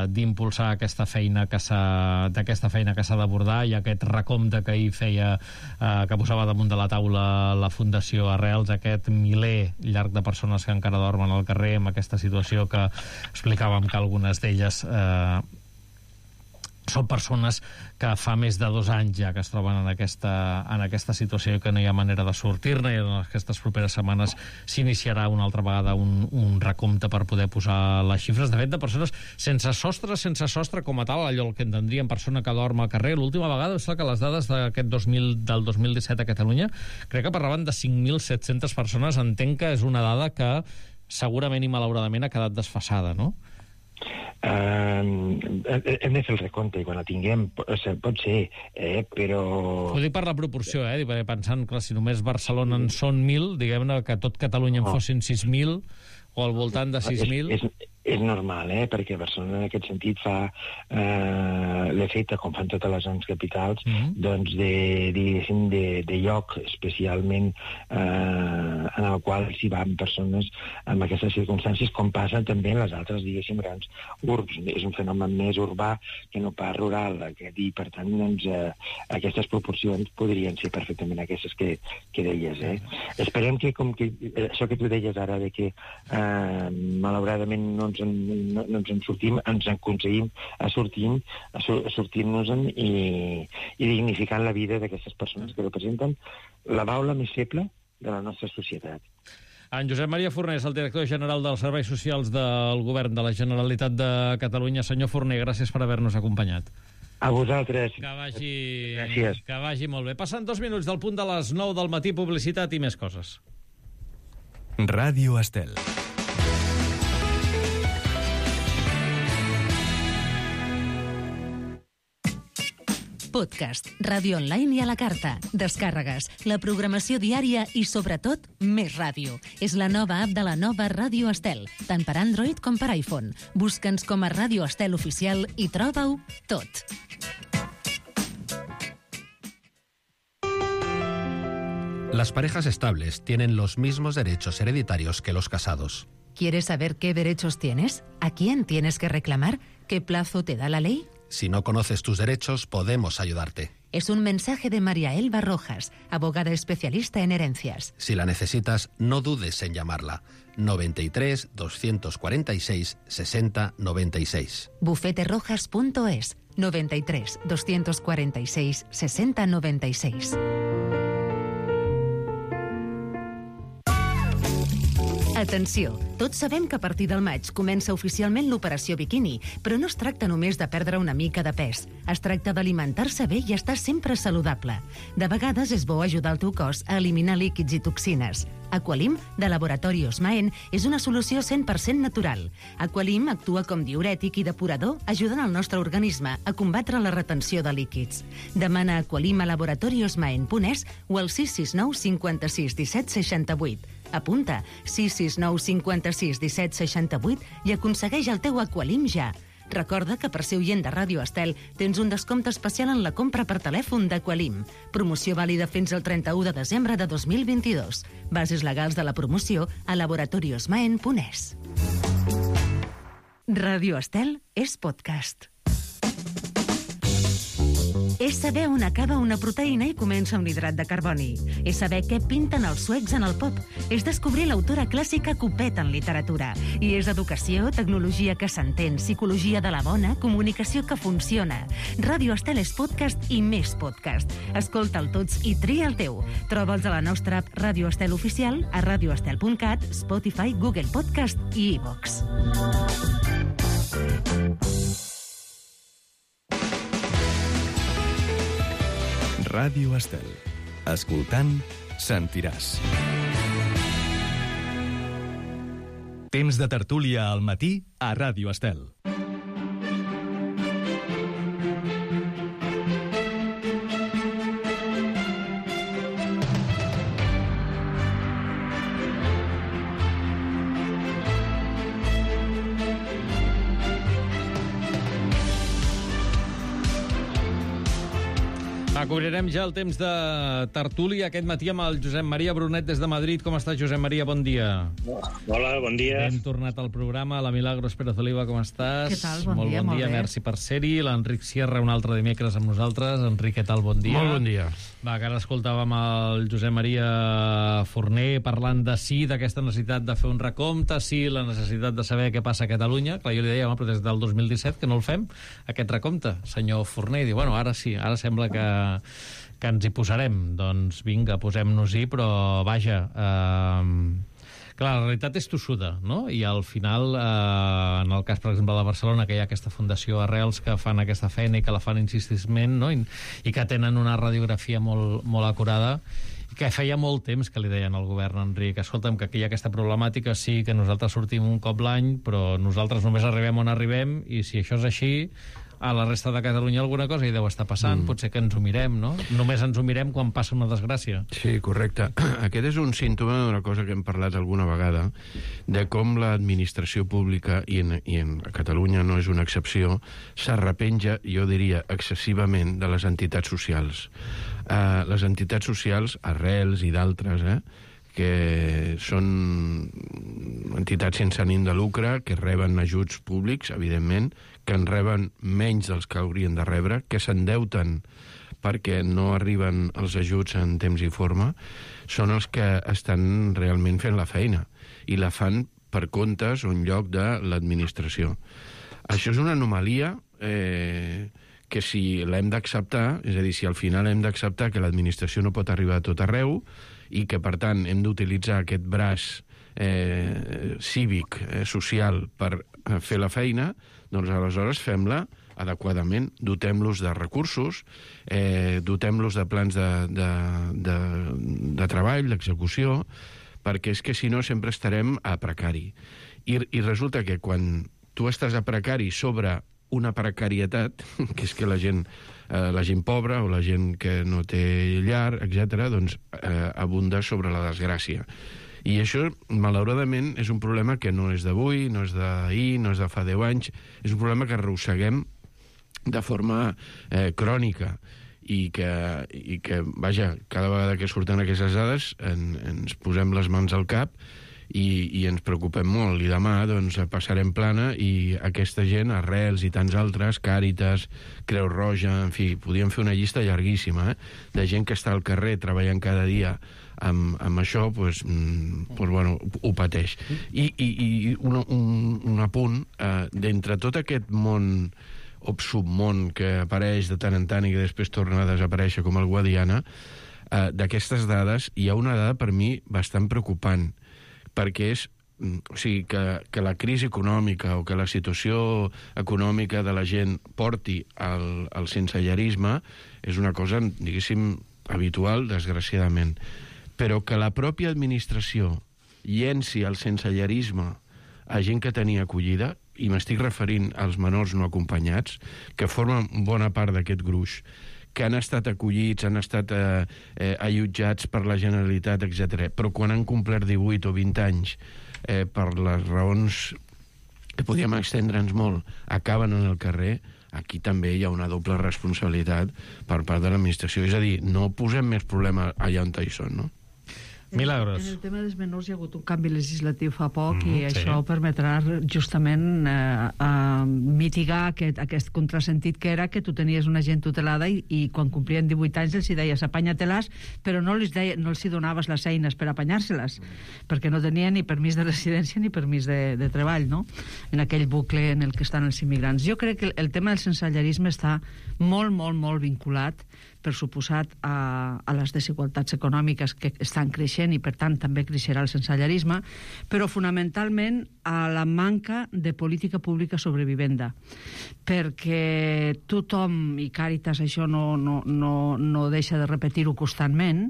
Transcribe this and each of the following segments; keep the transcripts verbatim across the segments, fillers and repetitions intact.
d'impulsar aquesta feina que s'ha d'aquesta feina que s'ha d'abordar, i aquest recompte que ahir feia, eh, que posava damunt de la taula la Fundació Arrels, aquest miler llarg de persones que encara dormen al carrer, amb aquesta situació que explicàvem que algunes d'elles eh, són persones que fa més de dos anys ja que es troben en aquesta, en aquesta situació i que no hi ha manera de sortir-ne, i en aquestes properes setmanes s'iniciarà una altra vegada un, un recompte per poder posar les xifres, de fet, de persones sense sostre, sense sostre com a tal, allò el que entendríem persona que dorm al carrer. L'última vegada, és que les dades d'aquest dos mil, del dos mil disset a Catalunya, crec que parlaven de cinc mil set-centes persones. Entenc que és una dada que segurament i malauradament ha quedat desfasada, no? Uh, hem de fer el recompte i quan la tinguem pot ser, eh, però... Ho dic per la proporció, eh? Pensant que si només Barcelona en són mil, diguem-ne que tot Catalunya en fossin sis mil o al voltant de sis mil... És, és, és normal, eh? Perquè Barcelona en aquest sentit fa eh, l'efecte, com fan totes les grans capitals, mm-hmm. doncs de, diguéssim, de, de lloc especialment eh, en el qual s'hi van persones amb aquestes circumstàncies, com passa també en les altres, diguéssim, grans urbs. És un fenomen més urbà que no pas rural, aquest, i per tant doncs, eh, aquestes proporcions podrien ser perfectament aquestes que, que deies, eh? Esperem que, com que això que tu deies ara, de que eh, malauradament no ens en, no, no ens en sortim, ens en aconseguim a sortir, a, a sortir-nos-en i, i dignificant la vida d'aquestes persones que representen la baula més feble de la nostra societat. En Josep Maria Fornés, el director general dels Serveis Socials del Govern de la Generalitat de Catalunya. Senyor Forner, gràcies per haver-nos acompanyat. A vosaltres. Que vagi, gràcies. Que vagi molt bé. Passen dos minuts del punt de les nou del matí, publicitat i més coses. Ràdio Estel. Podcast, ràdio online i a la carta, descàrregues, la programació diària i, sobretot, més ràdio. És la nova app de la nova Ràdio Estel, tant per Android com per iPhone. Busca'ns com a Ràdio Estel Oficial i troba-ho tot. Las parejas estables tienen los mismos derechos hereditarios que los casados. ¿Quieres saber qué derechos tienes? ¿A quién tienes que reclamar? ¿Qué plazo te da la ley? Si no conoces tus derechos, podemos ayudarte. Es un mensaje de María Elba Rojas, abogada especialista en herencias. Si la necesitas, no dudes en llamarla. noventa y tres, doscientos cuarenta y seis, sesenta, noventa y seis. bufete rojas punto es, noventa y tres, doscientos cuarenta y seis, sesenta, noventa y seis. Atenció, tots sabem que a partir del maig comença oficialment l'operació biquini, però no es tracta només de perdre una mica de pes. Es tracta d'alimentar-se bé i estar sempre saludable. De vegades és bo ajudar el teu cos a eliminar líquids i toxines. Aqualim, de Laboratori Osmaen, és una solució cent per cent natural. Aqualim actua com diürètic i depurador, ajudant el nostre organisme a combatre la retenció de líquids. Demana Aqualim a laboratori osmaen punt es o al sis sis nou cinquanta-sis disset seixanta-vuit. Apunta sis sis nou cinquanta-sis disset seixanta-vuit i aconsegueix el teu Aqualim ja. Recorda que per ser oient de Ràdio Estel tens un descompte especial en la compra per telèfon d'Aqualim. Promoció vàlida fins al trenta-u de desembre de dos mil vint-i-dos. Bases legals de la promoció a laboratori osmaen punt es. Ràdio Estel és podcast. És saber on acaba una proteïna i comença un hidrat de carboni. És saber què pinten els suecs en el pop. És descobrir l'autora clàssica Copet en literatura. I és educació, tecnologia que s'entén, psicologia de la bona, comunicació que funciona. Ràdio Estel és podcast i més podcast. Escolta'l tots i tria el teu. Troba'ls a la nostra app Ràdio Estel Oficial, a radioestel punt cat, Spotify, Google Podcast i iVox. Ràdio Estel. Escoltant, sentiràs. Temps de tertúlia al matí a Ràdio Estel. Va, cobrirem ja el temps de tertúlia aquest matí amb el Josep Maria Brunet des de Madrid. Com estàs, Josep Maria? Bon dia. Hola, bon dia. Hem tornat al programa. La Milagros Pérez Oliva, com estàs? Què tal? Bon molt dia, bon molt dia. bé. Merci per ser-hi. L'Enric Sierra, un altre dimecres amb nosaltres. Enric, què tal? Bon dia. Molt bon dia. Va, que ara escoltàvem el Josep Maria Forner parlant de sí, d'aquesta necessitat de fer un recompte, sí, la necessitat de saber què passa a Catalunya. Clar, jo li deia, home, però des del dos mil disset que no el fem, aquest recompte, senyor Forner. I diu, bueno, ara sí, ara sembla que que ens hi posarem. Doncs vinga, posem-nos-hi, però vaja, eh, clar, la realitat és tossuda, no? I al final, eh, en el cas, per exemple, de Barcelona, que hi ha aquesta fundació Arrels que fan aquesta feina i que la fan insistentment, no? I, i que tenen una radiografia molt, molt acurada, i que feia molt temps que li deien al govern, Enric, escolta'm, que aquí hi ha aquesta problemàtica, sí, que nosaltres sortim un cop l'any, però nosaltres només arribem on arribem, i si això és així, a la resta de Catalunya alguna cosa hi deu estar passant, mm. potser que ens ho mirem, no? Només ens ho mirem quan passa una desgràcia. Sí, correcte. Aquest és un símptoma d'una cosa que hem parlat alguna vegada, de com l'administració pública, i en, i en Catalunya no és una excepció, s'arrepenja, jo diria, excessivament de les entitats socials. Uh, les entitats socials, Arrels i d'altres, eh, que són entitats sense ànim de lucre, que reben ajuts públics, evidentment, que en reben menys dels que haurien de rebre, que s'endeuten perquè no arriben els ajuts en temps i forma, són els que estan realment fent la feina, i la fan per comptes o en lloc de l'administració. Això és una anomalia eh, que si l'hem d'acceptar, és a dir, si al final hem d'acceptar que l'administració no pot arribar a tot arreu, i que, per tant, hem d'utilitzar aquest braç eh, cívic, eh, social, per eh, fer la feina, doncs aleshores fem-la adequadament, dotem-los de recursos, eh, dotem-los de plans de, de, de, de treball, d'execució, perquè és que si no sempre estarem a precari. I, i resulta que quan tu estàs a precari sobre una precarietat, que és que la gent, eh, la gent pobra o la gent que no té llar, etcètera, doncs eh, abunda sobre la desgràcia. I això, malauradament, és un problema que no és d'avui, no és d'ahir, no és de fa deu anys, és un problema que arrosseguem de forma eh, crònica i que, i que, vaja, cada vegada que surten aquestes dades en, ens posem les mans al cap i, i ens preocupem molt. I demà, doncs, passarem plana i aquesta gent, Arrels i tants altres, Càritas, Creu Roja, en fi, podríem fer una llista llarguíssima, eh, de gent que està al carrer treballant cada dia amb, amb això, doncs, doncs, bueno, ho pateix. I, i, i un, un, un apunt, eh, d'entre tot aquest món o submón que apareix de tant en tant i que després torna a desaparèixer com el Guadiana, eh, d'aquestes dades hi ha una dada per mi bastant preocupant, perquè és, o sigui, que, que la crisi econòmica o que la situació econòmica de la gent porti al, al sensellarisme és una cosa, diguéssim, habitual, desgraciadament. Però que la pròpia administració llenci el sensellarisme a gent que tenia acollida, i m'estic referint als menors no acompanyats, que formen bona part d'aquest gruix, que han estat acollits, han estat eh, eh, allotjats per la Generalitat, etcètera. Però quan han complert divuit o vint anys, eh, per les raons que podíem extendre'ns molt, acaben en el carrer, aquí també hi ha una doble responsabilitat per part de l'administració. És a dir, no posem més problema allà on hi són, no? Milagros. En el tema dels menors hi ha hagut un canvi legislatiu fa poc mm, i sí. això permetrà justament eh, eh, mitigar aquest, aquest contrasentit que era que tu tenies una gent tutelada i, i quan complien divuit anys els hi deies apanya-te-les, però no els, deia, no els hi donaves les eines per apanyar-se-les, perquè no tenien ni permís de residència ni permís de, de treball, no? En aquell bucle en el que estan els immigrants. Jo crec que el, el tema del sensellarisme està molt, molt, molt vinculat, per suposat, a, a les desigualtats econòmiques que estan creixent i, per tant, també creixerà el sensellarisme, però fonamentalment a la manca de política pública sobre vivenda. Perquè tothom, i Càritas això no, no, no, no deixa de repetir-ho constantment,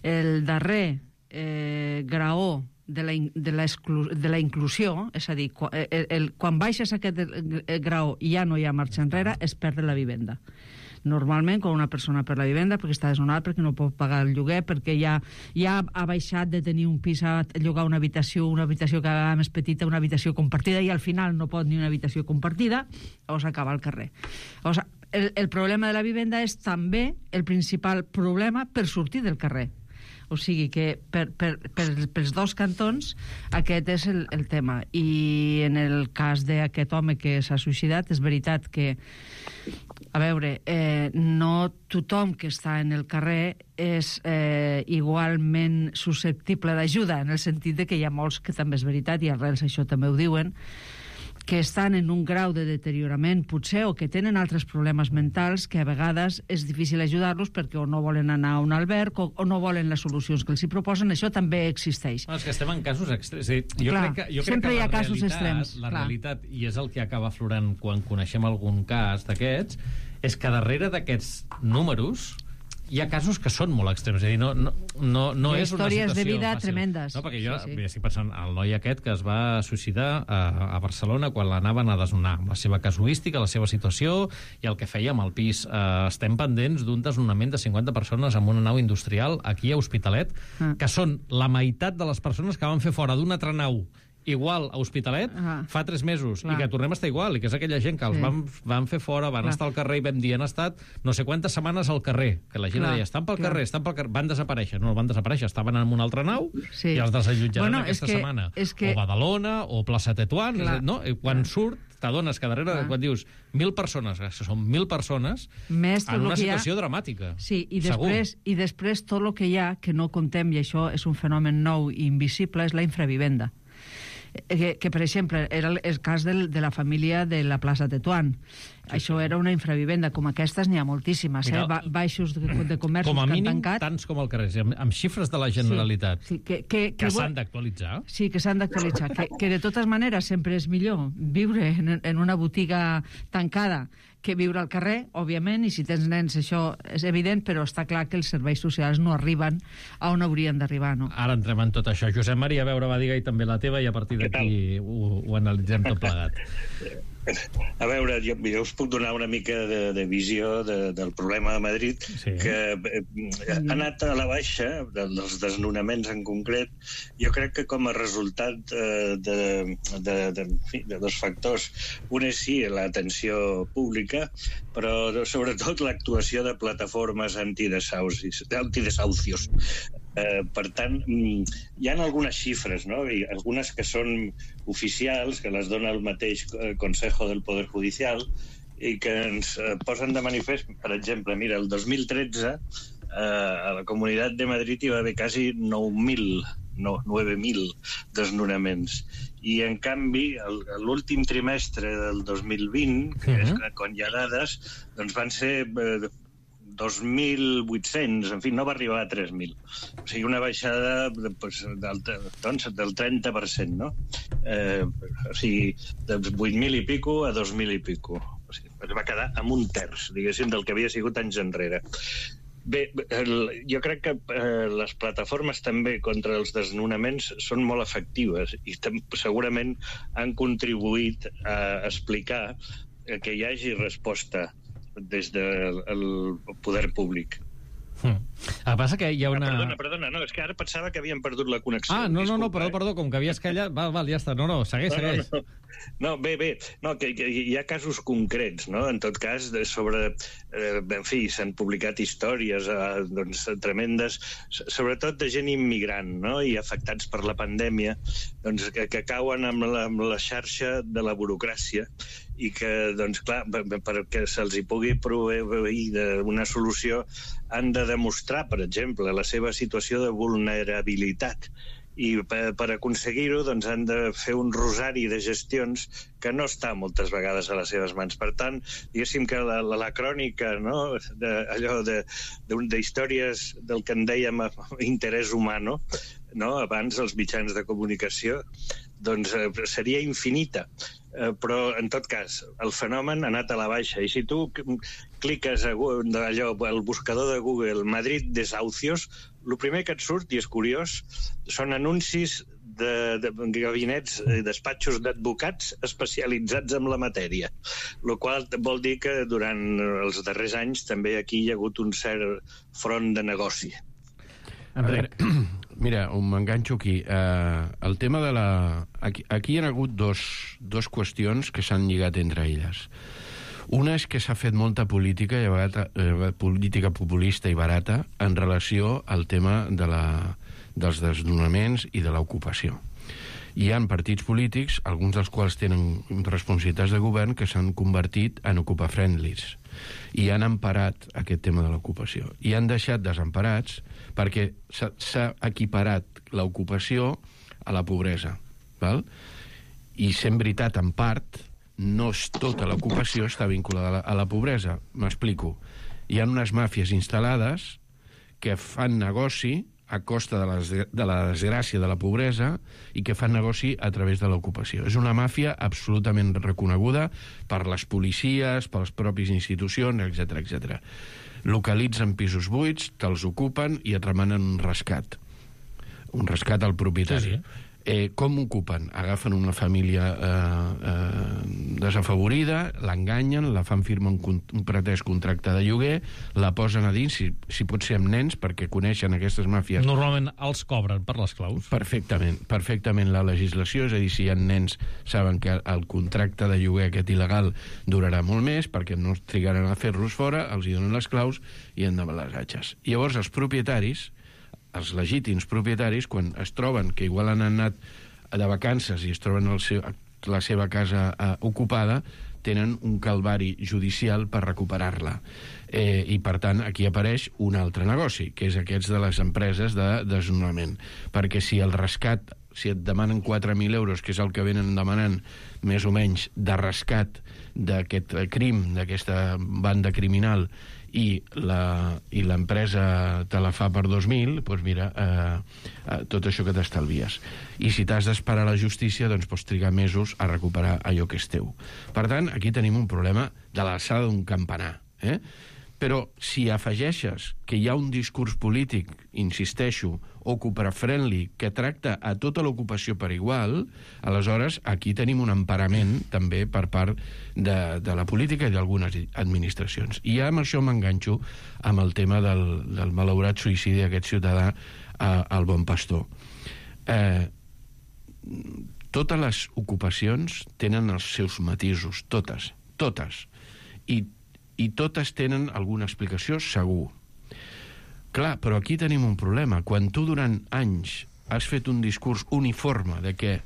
el darrer eh, graó de la, de, la de la inclusió, és a dir, quan, el, el, quan baixes aquest graó i ja no hi ha marxa enrere, es perd la vivenda. Normalment, quan una persona per la vivenda, perquè està desnonada, perquè no pot pagar el lloguer, perquè ja, ja ha baixat de tenir un pis a llogar una habitació, una habitació cada vegada més petita, una habitació compartida, i al final no pot ni una habitació compartida, o s'acaba al carrer. O sigui, el, el problema de la vivenda és també el principal problema per sortir del carrer. O sigui que per, per, per, pels dos cantons aquest és el, el tema. I en el cas d'aquest home que s'ha suïcidat, és veritat que, a veure, eh, no tothom que està en el carrer és eh, igualment susceptible d'ajuda, en el sentit de que hi ha molts que també és veritat, i arrels això també ho diuen, que estan en un grau de deteriorament, potser, o que tenen altres problemes mentals que a vegades és difícil ajudar-los perquè o no volen anar a un alberg o, o no volen les solucions que els hi proposen. Això també existeix. No, és que estem en casos extrems. Sí, jo clar, crec que, jo sempre crec que hi ha la casos realitat, extrems. La clar. realitat, i és el que acaba aflorant quan coneixem algun cas d'aquests, és que darrere d'aquests números hi ha casos que són molt extrems, és a dir, no, no, no, no és una situació històries de vida fàcil. tremendes. No, perquè jo sí, sí. Bé, estic pensant el noi aquest que es va suïcidar a, a Barcelona quan l'anaven a desnonar, amb la seva casuística, la seva situació i el que feia amb el pis. Eh, estem pendents d'un desnonament de cinquanta persones amb una nau industrial aquí a Hospitalet, ah. que són la meitat de les persones que van fer fora d'una altra nau igual a Hospitalet uh-huh. fa tres mesos, clar. I que tornem a estar igual, i que és aquella gent que els sí. van, van fer fora, van clar. Estar al carrer i vam dir, han estat no sé quantes setmanes al carrer, que la gent clar. Deia, estan pel clar. Carrer, estan pel carrer, van desaparèixer, no, van desaparèixer, estaven en una altra nau sí. i els desallotjaran bueno, aquesta que, setmana. Que... O Badalona, o Plaça Tetuán, no? I quan clar. Surt, t'adones que darrere, clar. Quan dius mil persones, que són mil persones, Més en una situació ha... dramàtica. Sí, i després, i després tot el que hi ha, que no contem, i això és un fenomen nou i invisible, és la infravivenda. Que, que per exemple, era el, el cas del, de la família de la plaça Tetuán. Sí, això sí. Era una infravivenda. Com aquestes n'hi ha moltíssimes. Mira, eh? Ba baixos de, de comerços com a mínim, que han tancat. Tants com al carrer, amb, amb xifres de la Generalitat. Sí, sí, que que, que, que s'han d'actualitzar. Sí, que s'han d'actualitzar. que, que de totes maneres sempre és millor viure en, en una botiga tancada que viure al carrer, òbviament, i si tens nens això és evident, però està clar que els serveis socials no arriben a on haurien d'arribar, no? Ara entrem en tot això. Josep Maria, a veure, va, digue-hi també la teva i a partir d'aquí ho, ho analitzem tot plegat. A veure, jo, jo us puc donar una mica de, de visió de, del problema de Madrid, sí. que eh, ha anat a la baixa, dels desnonaments en concret. Jo crec que com a resultat eh, de, de, de, de, de dos factors. Un és sí, l'atenció pública, però sobretot l'actuació de plataformes antidesaucis, antidesaucios. Eh, per tant, hi ha algunes xifres, no? I algunes que són oficials, que les dona el mateix Consejo del Poder Judicial, i que ens eh, posen de manifest, per exemple, mira, el dos mil tretze eh, a la Comunitat de Madrid hi va haver quasi nou mil, no, nueve mil desnonaments. I, en canvi, l'últim trimestre del dos mil vint, que és quan hi ha dades, doncs van ser eh, dos mil vuit-cents, en fi, no va arribar a tres mil. O sigui, una baixada de, pues, del, doncs, del trenta per cent, no? Eh, o sigui, de vuit mil i pico a dos mil i pico. O sigui, va quedar amb un terç, diguéssim, del que havia sigut anys enrere. Bé, el, jo crec que eh, les plataformes també contra els desnonaments són molt efectives i segurament han contribuït a explicar que hi hagi resposta des del poder públic. Hmm. El que passa que hi ha una... Ah, perdona, perdona, no, és que ara pensava que havíem perdut la connexió. Ah, no, no, no, perdó, eh? perdó, com que havies callat... Val, val, ja està. No, no, segueix, no, segueix. No, no. no bé, bé, no, que, que hi ha casos concrets, no? En tot cas, de, sobre... Eh, en fi, s'han publicat històries eh, doncs, tremendes, sobretot de gent immigrant, no? I afectats per la pandèmia, doncs, que, que cauen amb la, amb la xarxa de la burocràcia i que, doncs, clar, perquè se'ls hi pugui proveir d'una solució han de demostrar, per exemple, la seva situació de vulnerabilitat. I per, per aconseguir-ho doncs, han de fer un rosari de gestions que no està moltes vegades a les seves mans. Per tant, diguéssim que la, la, la crònica, no? de, allò de, de, de històries del que en dèiem interès humano, no? Abans els mitjans de comunicació, doncs eh, seria infinita. Eh, però, en tot cas, el fenomen ha anat a la baixa. I si tu cliques a Google, allò, al buscador de Google Madrid desahucios, el primer que et surt, i és curiós, són anuncis de, de gabinets, despatxos d'advocats especialitzats en la matèria. El qual vol dir que durant els darrers anys també aquí hi ha hagut un cert front de negoci. Veure, mira, m'enganxo aquí. Uh, el tema de la... Aquí, aquí hi ha hagut dos, dos qüestions que s'han lligat entre elles. Una és que s'ha fet molta política, i barata, eh, política populista i barata en relació al tema de la, dels desnonaments i de l'ocupació. Hi ha partits polítics, alguns dels quals tenen responsabilitats de govern, que s'han convertit en ocupafriendlies i han emparat aquest tema de l'ocupació. I han deixat desemparats perquè s'ha equiparat l'ocupació a la pobresa. Val? I sent veritat, en part, no és tota l'ocupació està vinculada a la, a la pobresa. M'explico. Hi ha unes màfies instal·lades que fan negoci a costa de la, de la desgràcia de la pobresa i que fan negoci a través de l'ocupació. És una màfia absolutament reconeguda per les policies, per les pròpies institucions, etcètera, etcètera. Localitzen pisos buits, te'ls ocupen i et remanen un rescat. Un rescat al propietari. Sí, sí. Eh, com ocupen? Agafen una família eh, eh, desafavorida, l'enganyen, la fan firmar un, un pretès contracte de lloguer, la posen a dins, si, si pot ser amb nens, perquè coneixen aquestes màfies. Normalment els cobren per les claus. Perfectament, perfectament la legislació, és a dir, si hi ha nens saben que el contracte de lloguer aquest il·legal durarà molt més, perquè no trigaran a fer-los fora, els hi donen les claus i endavant les atxes. Llavors els propietaris, els legítims propietaris, quan es troben que igual han anat de vacances i es troben el seu, la seva casa eh, ocupada, tenen un calvari judicial per recuperar-la. Eh, I, per tant, aquí apareix un altre negoci, que és aquests de les empreses de desnonament. Perquè si el rescat, si et demanen quatre mil euros, que és el que venen demanant més o menys de rescat d'aquest crim, d'aquesta banda criminal, i la i l'empresa te la fa per dos mil, doncs mira, eh, eh, tot això que t'estalvies. I si t'has d'esperar a la justícia, doncs pots trigar mesos a recuperar allò que és teu. Per tant, aquí tenim un problema de l'alçada d'un campanar. Eh? Però si afegeixes que hi ha un discurs polític, insisteixo, ocupa-friendly, que tracta a tota l'ocupació per igual, aleshores aquí tenim un emparament també per part de, de la política i d'algunes administracions. I ja amb això m'enganxo amb el tema del, del malaurat suïcidi d'aquest ciutadà eh, al Bon Pastor. Eh, totes les ocupacions tenen els seus matisos, totes, totes. I i totes tenen alguna explicació, segur. Clar, però aquí tenim un problema. Quan tu durant anys has fet un discurs uniforme de que eh,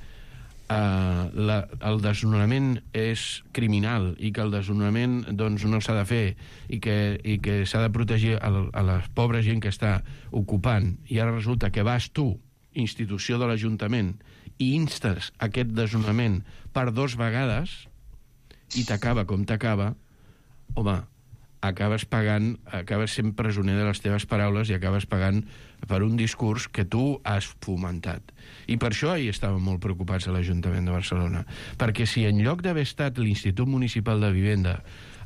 la, el desnonament és criminal i que el desnonament doncs, no s'ha de fer i que, i que s'ha de protegir a la, a la pobra gent que està ocupant, i ara resulta que vas tu, institució de l'Ajuntament, i instes aquest desnonament per dos vegades i t'acaba com t'acaba, home, acabes pagant, acabes sent presoner de les teves paraules i acabes pagant per un discurs que tu has fomentat. I per això hi estàvem molt preocupats a l'Ajuntament de Barcelona, perquè si en lloc d'haver estat l'Institut Municipal de Vivenda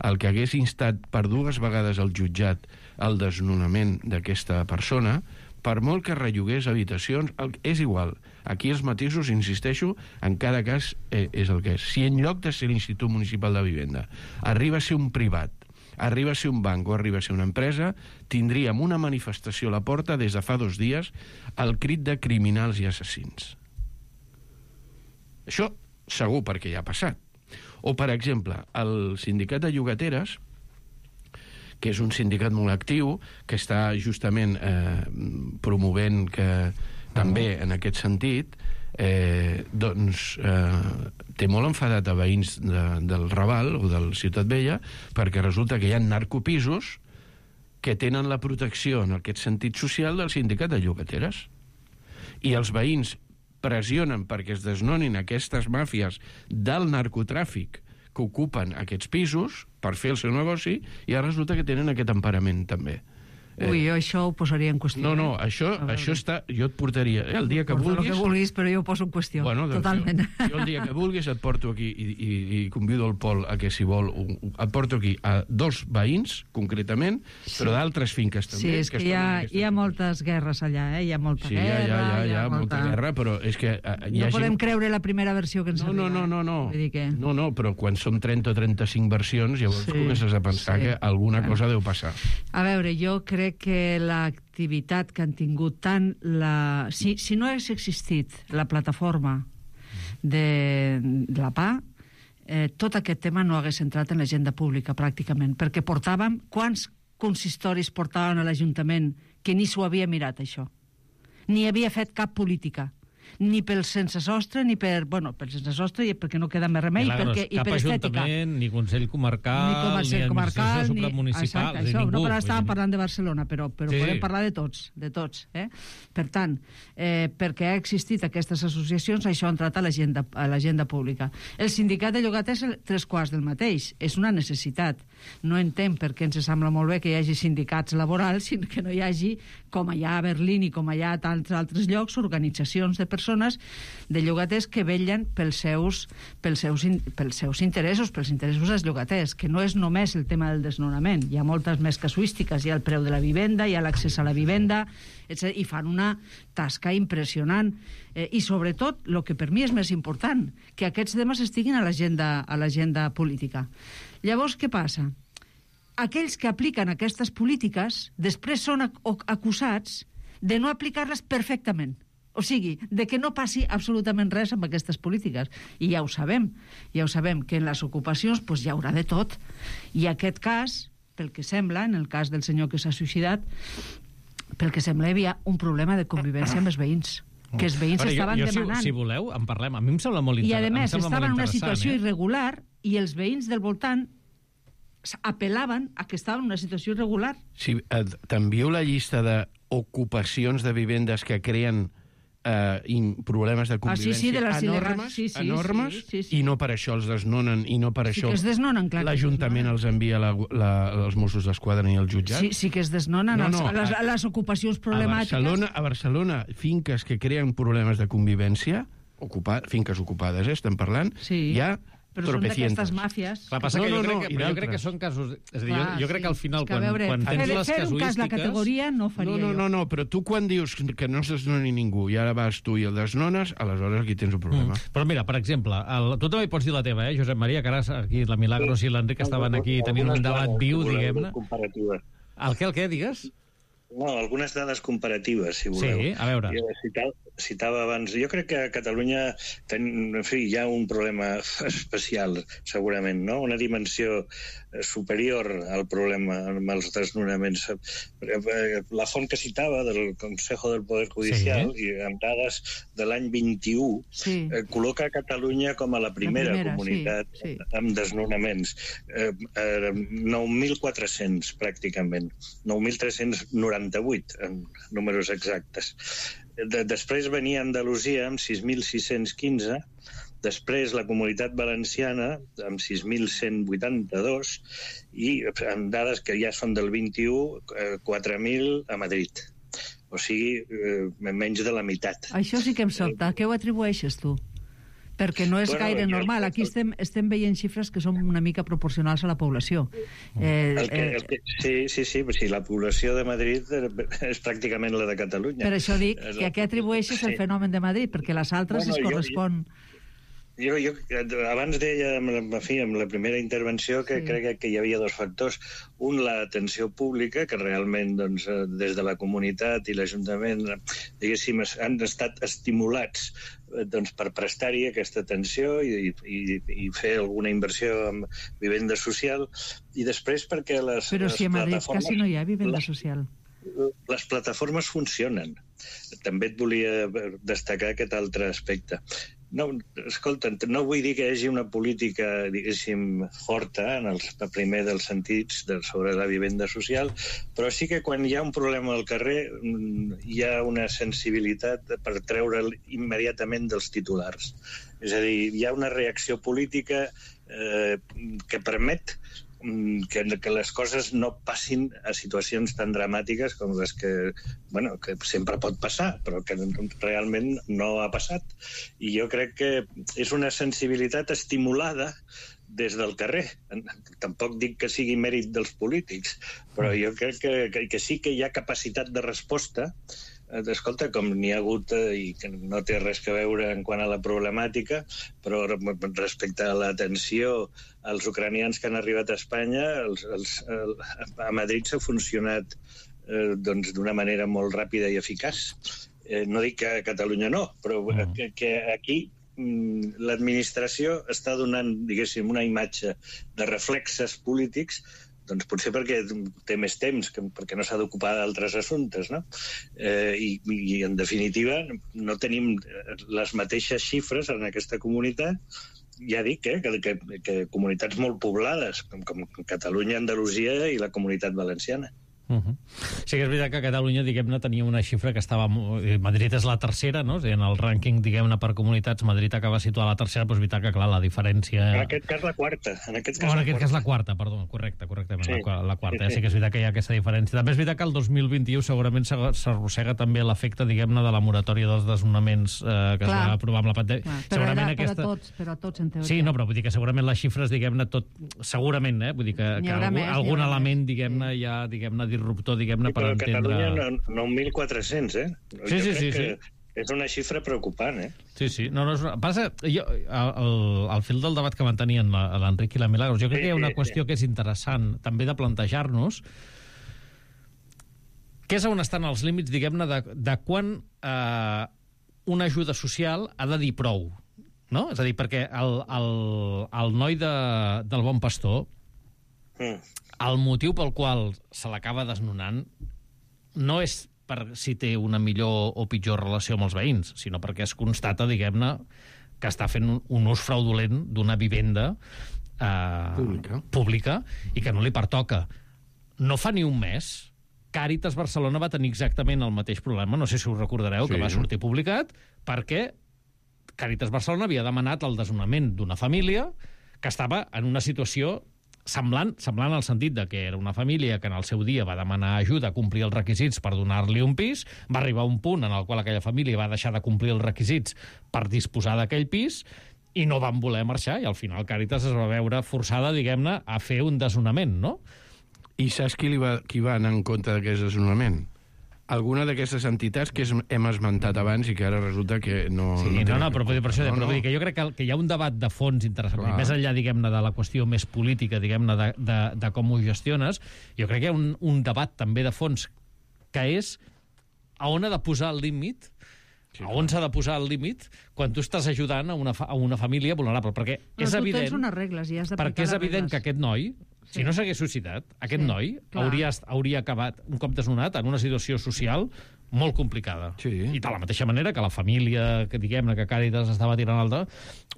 el que hagués instat per dues vegades al jutjat el desnonament d'aquesta persona, per molt que rellogués habitacions, és igual. Aquí els matisos, insisteixo, en cada cas eh, és el que és. Si en lloc de ser l'Institut Municipal de Vivenda arriba a ser un privat, arriba a ser un banc o arriba a ser una empresa, tindríem una manifestació a la porta des de fa dos dies al crit de criminals i assassins. Això segur, perquè ja ha passat. O, per exemple, el sindicat de llogateres, que és un sindicat molt actiu, que està justament eh, promovent que també en aquest sentit, eh, doncs eh, té molt enfadat a veïns de, del Raval o del Ciutat Vella, perquè resulta que hi ha narcopisos que tenen la protecció en aquest sentit social del sindicat de llogateres. I els veïns pressionen perquè es desnonin aquestes màfies del narcotràfic que ocupen aquests pisos per fer el seu negoci, i ara resulta que tenen aquest emparament també. Ui, jo això ho posaria en qüestió. No, no, això, això està... Jo et portaria... Eh, el dia que Porta vulguis... el que vulguis, però jo ho poso en qüestió. Bueno, doncs totalment. Jo, jo el dia que vulguis et porto aquí i, i, i convido el Pol a que, si vol, et porto aquí a dos veïns, concretament, sí, però d'altres finques també. Sí, és que, que hi, ha, hi ha moltes guerres allà, eh? Hi ha molta sí, guerra... Sí, hi ha, hi ha, hi ha, molta... molta guerra, però és que... Uh, no podem gent... creure la primera versió que ens no, arriba. No, no, no, no. Vull dir que... No, no, però quan són trenta o trenta-cinc versions, llavors sí, comences a pensar sí, que alguna bueno. cosa deu passar. A veure, jo crec que la activitat que han tingut tant la... Si, si no hagués existit la plataforma de, de la P A, eh, tot aquest tema no hagués entrat en l'agenda pública, pràcticament, perquè portàvem... Quants consistoris portaven a l'Ajuntament que ni s'ho havia mirat, això? Ni havia fet cap política, ni pel sense sostre, ni per... Bueno, per sense sostre, perquè no queda més remei, Milagros, perquè, i cap per estètica. ajuntament, ni Consell Comarcal, ni, Consell ni comarcal, Administració ni... Supramunicipal, Exacte, ni això, ningú. no, però estàvem parlant de Barcelona, però, però Sí. podem parlar de tots, de tots. Eh? Per tant, eh, perquè ha existit aquestes associacions, això ha entrat a l'agenda a l'agenda pública. El sindicat de llogaters és tres quarts del mateix. És una necessitat. No entenc per què ens sembla molt bé que hi hagi sindicats laborals, sinó que no hi hagi, com hi ha a Berlín i com hi ha a tants altres llocs, organitzacions de persones de llogaters que vetllen pels seus, pels seus, in, pels seus interessos, pels interessos dels llogaters, que no és només el tema del desnonament. Hi ha moltes més casuístiques. Hi ha el preu de la vivenda, hi ha l'accés a la vivenda, etcètera, i fan una tasca impressionant. Eh, I, sobretot, el que per mi és més important, que aquests temes estiguin a l'agenda a l'agenda política. Llavors, què passa? Aquells que apliquen aquestes polítiques després són acusats de no aplicar-les perfectament. O sigui, de que no passi absolutament res amb aquestes polítiques. I ja ho sabem. Ja ho sabem, que en les ocupacions pues, hi haurà de tot. I aquest cas, pel que sembla, en el cas del senyor que s'ha suïcidat, pel que sembla hi havia un problema de convivència amb els veïns. Que els veïns Però jo, estaven jo, demanant. Si, si voleu, en parlem. A mi em sembla molt I, a interessant. més, estaven en una situació eh? irregular i els veïns del voltant apel·laven a que estaven en una situació irregular. Si eh, t'envio la llista d'ocupacions de vivendes que creen eh, in, problemes de convivència ah, sí, sí, de les enormes, sí, sí, enormes sí, sí, sí. i no per això els desnonen i no per Sí això que es desnonen, clar que es l'Ajuntament desnonen. els envia la, la, els Mossos d'Esquadra i el jutjat. Sí, sí que es desnonen No, els, no, les, a- les ocupacions problemàtiques. A Barcelona, a Barcelona, finques que creen problemes de convivència, ocupa, finques ocupades, eh, estem parlant, Sí, hi ha però són tropecientes. d'aquestes màfies. Clar, passa No, que jo, no, crec no, que, i però jo crec que d'altres. són casos... És a dir, Clar, jo, jo crec que al final, és que, a quan, veure, quan fer, tens les fer un cas la casuístiques... categoria no faria No, no, no, jo. no, però tu quan dius que no es desnoni ningú i ara vas tu i el desnones, aleshores aquí tens un problema. Mm. Però mira, per exemple, el, tu també pots dir la teva, eh, Josep Maria, que ara aquí la Milagros i l'Enric estaven aquí tenint un debat viu, diguem-ne. Comparativa. El què, el què, digues? No, algunes dades comparatives, si voleu. Sí, a veure. Jo citava, citava abans... Jo crec que a Catalunya ten, en fi, hi ha un problema especial, segurament, no? Una dimensió superior al problema amb els desnonaments. La font que citava del Consejo del Poder Judicial, sí, i amb dades de l'any vint-i-u, Sí. eh, col·loca a Catalunya com a la primera, La primera, comunitat sí, sí. amb desnonaments. Eh, eh, nou mil quatre-cents, pràcticament. nou mil tres-cents noranta-vuit, en números exactes. De, després venia Andalusia amb sis mil sis-cents quinze, després la Comunitat Valenciana amb sis mil cent vuitanta-dos i amb dades que ja són del vint-i-u, eh, quatre mil a Madrid. O sigui, eh, menys de la meitat. Això sí que em sobta. Què ho atribueixes tu? Perquè no és Bueno, gaire jo- normal. Aquí estem, estem veient xifres que són una mica proporcionals a la població. Eh, El que, eh, el que, sí, sí, sí, sí, la població de Madrid és pràcticament la de Catalunya. per això dic que a què atribueixes el Sí. fenomen de Madrid, perquè les altres Bueno, es jo- correspon... Jo, jo abans deia, en la, en fi, en la primera intervenció, que Sí. crec que, que hi havia dos factors. Un, l'atenció pública, que realment doncs, eh, des de la comunitat i l'Ajuntament, diguéssim, es- han estat estimulats eh, doncs, per prestar-hi aquesta atenció i, i, i fer alguna inversió en vivenda social. I després perquè les, Però les si a Madrid plataformes... quasi no hi ha vivenda les- social. les plataformes funcionen. També et volia destacar aquest altre aspecte. No, escolta, no vull dir que hi hagi una política, diguéssim, forta en el primer dels sentits de, sobre la vivenda social, però sí que quan hi ha un problema al carrer hi ha una sensibilitat per treure'l immediatament dels titulars. És a dir, hi ha una reacció política eh, que permet que, que les coses no passin a situacions tan dramàtiques com les que, bueno, que sempre pot passar, però que realment no ha passat. I jo crec que és una sensibilitat estimulada des del carrer. Tampoc dic que sigui mèrit dels polítics, però jo crec que, que, que sí que hi ha capacitat de resposta. Escolta, com n'hi ha hagut, eh, i que no té res a veure en quant a la problemàtica, però respecte a l'atenció als ucranians que han arribat a Espanya, els, els, el, a Madrid s'ha funcionat eh, doncs, d'una manera molt ràpida i eficaç. Eh, no dic que a Catalunya no, però mm. que, que aquí l'administració està donant, diguéssim, una imatge de reflexes polítics, doncs potser perquè té més temps, que, perquè no s'ha d'ocupar d'altres assumptes, no? Eh, i, I, en definitiva, no tenim les mateixes xifres en aquesta comunitat. Ja dic, eh, que, que, que comunitats molt poblades, com, com Catalunya, Andalusia i la Comunitat Valenciana. Uh-huh. Sí que és veritat que Catalunya, diguem-ne, tenia una xifra que estava... Madrid és la tercera, no? O sigui, en el rànquing, diguem-ne, per comunitats, Madrid acaba situada a la tercera, però és veritat que, clar, la diferència... En aquest cas, la quarta. En aquest cas, oh, en la, aquest quarta. cas la quarta, perdó, correcte, correctament, sí. la, la quarta. Sí, sí. sí que és veritat que hi ha aquesta diferència. També és veritat que el dos mil vint-i-u segurament s'arrossega també l'efecte, diguem-ne, de la moratòria dels desnonaments eh, que clar. Es va aprovar amb la pandèmia. Però segurament era aquesta... per, a tots, per a tots, en teoria. Sí, no, però vull dir que segurament les xifres, diguem-ne, tot... Segurament, eh? Vull dir que, que algun, més, algun element, diguem-ne, sí. ja, diguem-ne, disruptor, diguem-ne, però per entendre... Catalunya nou mil quatre-cents, eh? Sí, sí, sí, sí. És una xifra preocupant, eh? Sí, sí. No, no, és una... Passa, jo, el, el fil del debat que mantenien l'Enric i la Milagros, jo crec sí, que hi ha una qüestió sí. que és interessant també de plantejar-nos, que és on estan els límits, diguem-ne, de, de quan eh, una ajuda social ha de dir prou, no? És a dir, perquè el, el, el noi de, del Bon Pastor, mm. el motiu pel qual se l'acaba desnonant no és per si té una millor o pitjor relació amb els veïns, sinó perquè es constata, diguem-ne, que està fent un, un ús fraudulent d'una vivenda eh, pública. pública i que no li pertoca. No fa ni un mes, Càritas Barcelona va tenir exactament el mateix problema, no sé si us recordareu, sí. que va sortir publicat, perquè Càritas Barcelona havia demanat el desnonament d'una família que estava en una situació semblant, semblant al sentit de que era una família que en el seu dia va demanar ajuda a complir els requisits per donar-li un pis, va arribar a un punt en el qual aquella família va deixar de complir els requisits per disposar d'aquell pis i no van voler marxar, i al final Càritas es va veure forçada, diguem-ne, a fer un desnonament, no? I saps qui, li va, qui va anar en compte d'aquest desnonament? Alguna d'aquestes entitats que hem esmentat abans i que ara resulta que no... Sí, no, no, no però, per això, no, però no. vull dir que jo crec que, que hi ha un debat de fons interessant, més enllà, diguem-ne, de la qüestió més política, diguem-ne, de, de, de com ho gestiones, jo crec que hi ha un, un debat també de fons que és a on ha de posar el límit, sí, a on s'ha de posar el límit quan tu estàs ajudant a una, fa, a una família vulnerable, perquè però és tu evident... tens unes regles i has d'aplicar perquè és evident regles. que aquest noi, si no s'hagués suscitat, aquest sí, noi clar. hauria, hauria acabat, un cop desnonat, en una situació social molt complicada. Sí. I de la mateixa manera que la família, que diguem-ne, que Càritas estava tirant alta,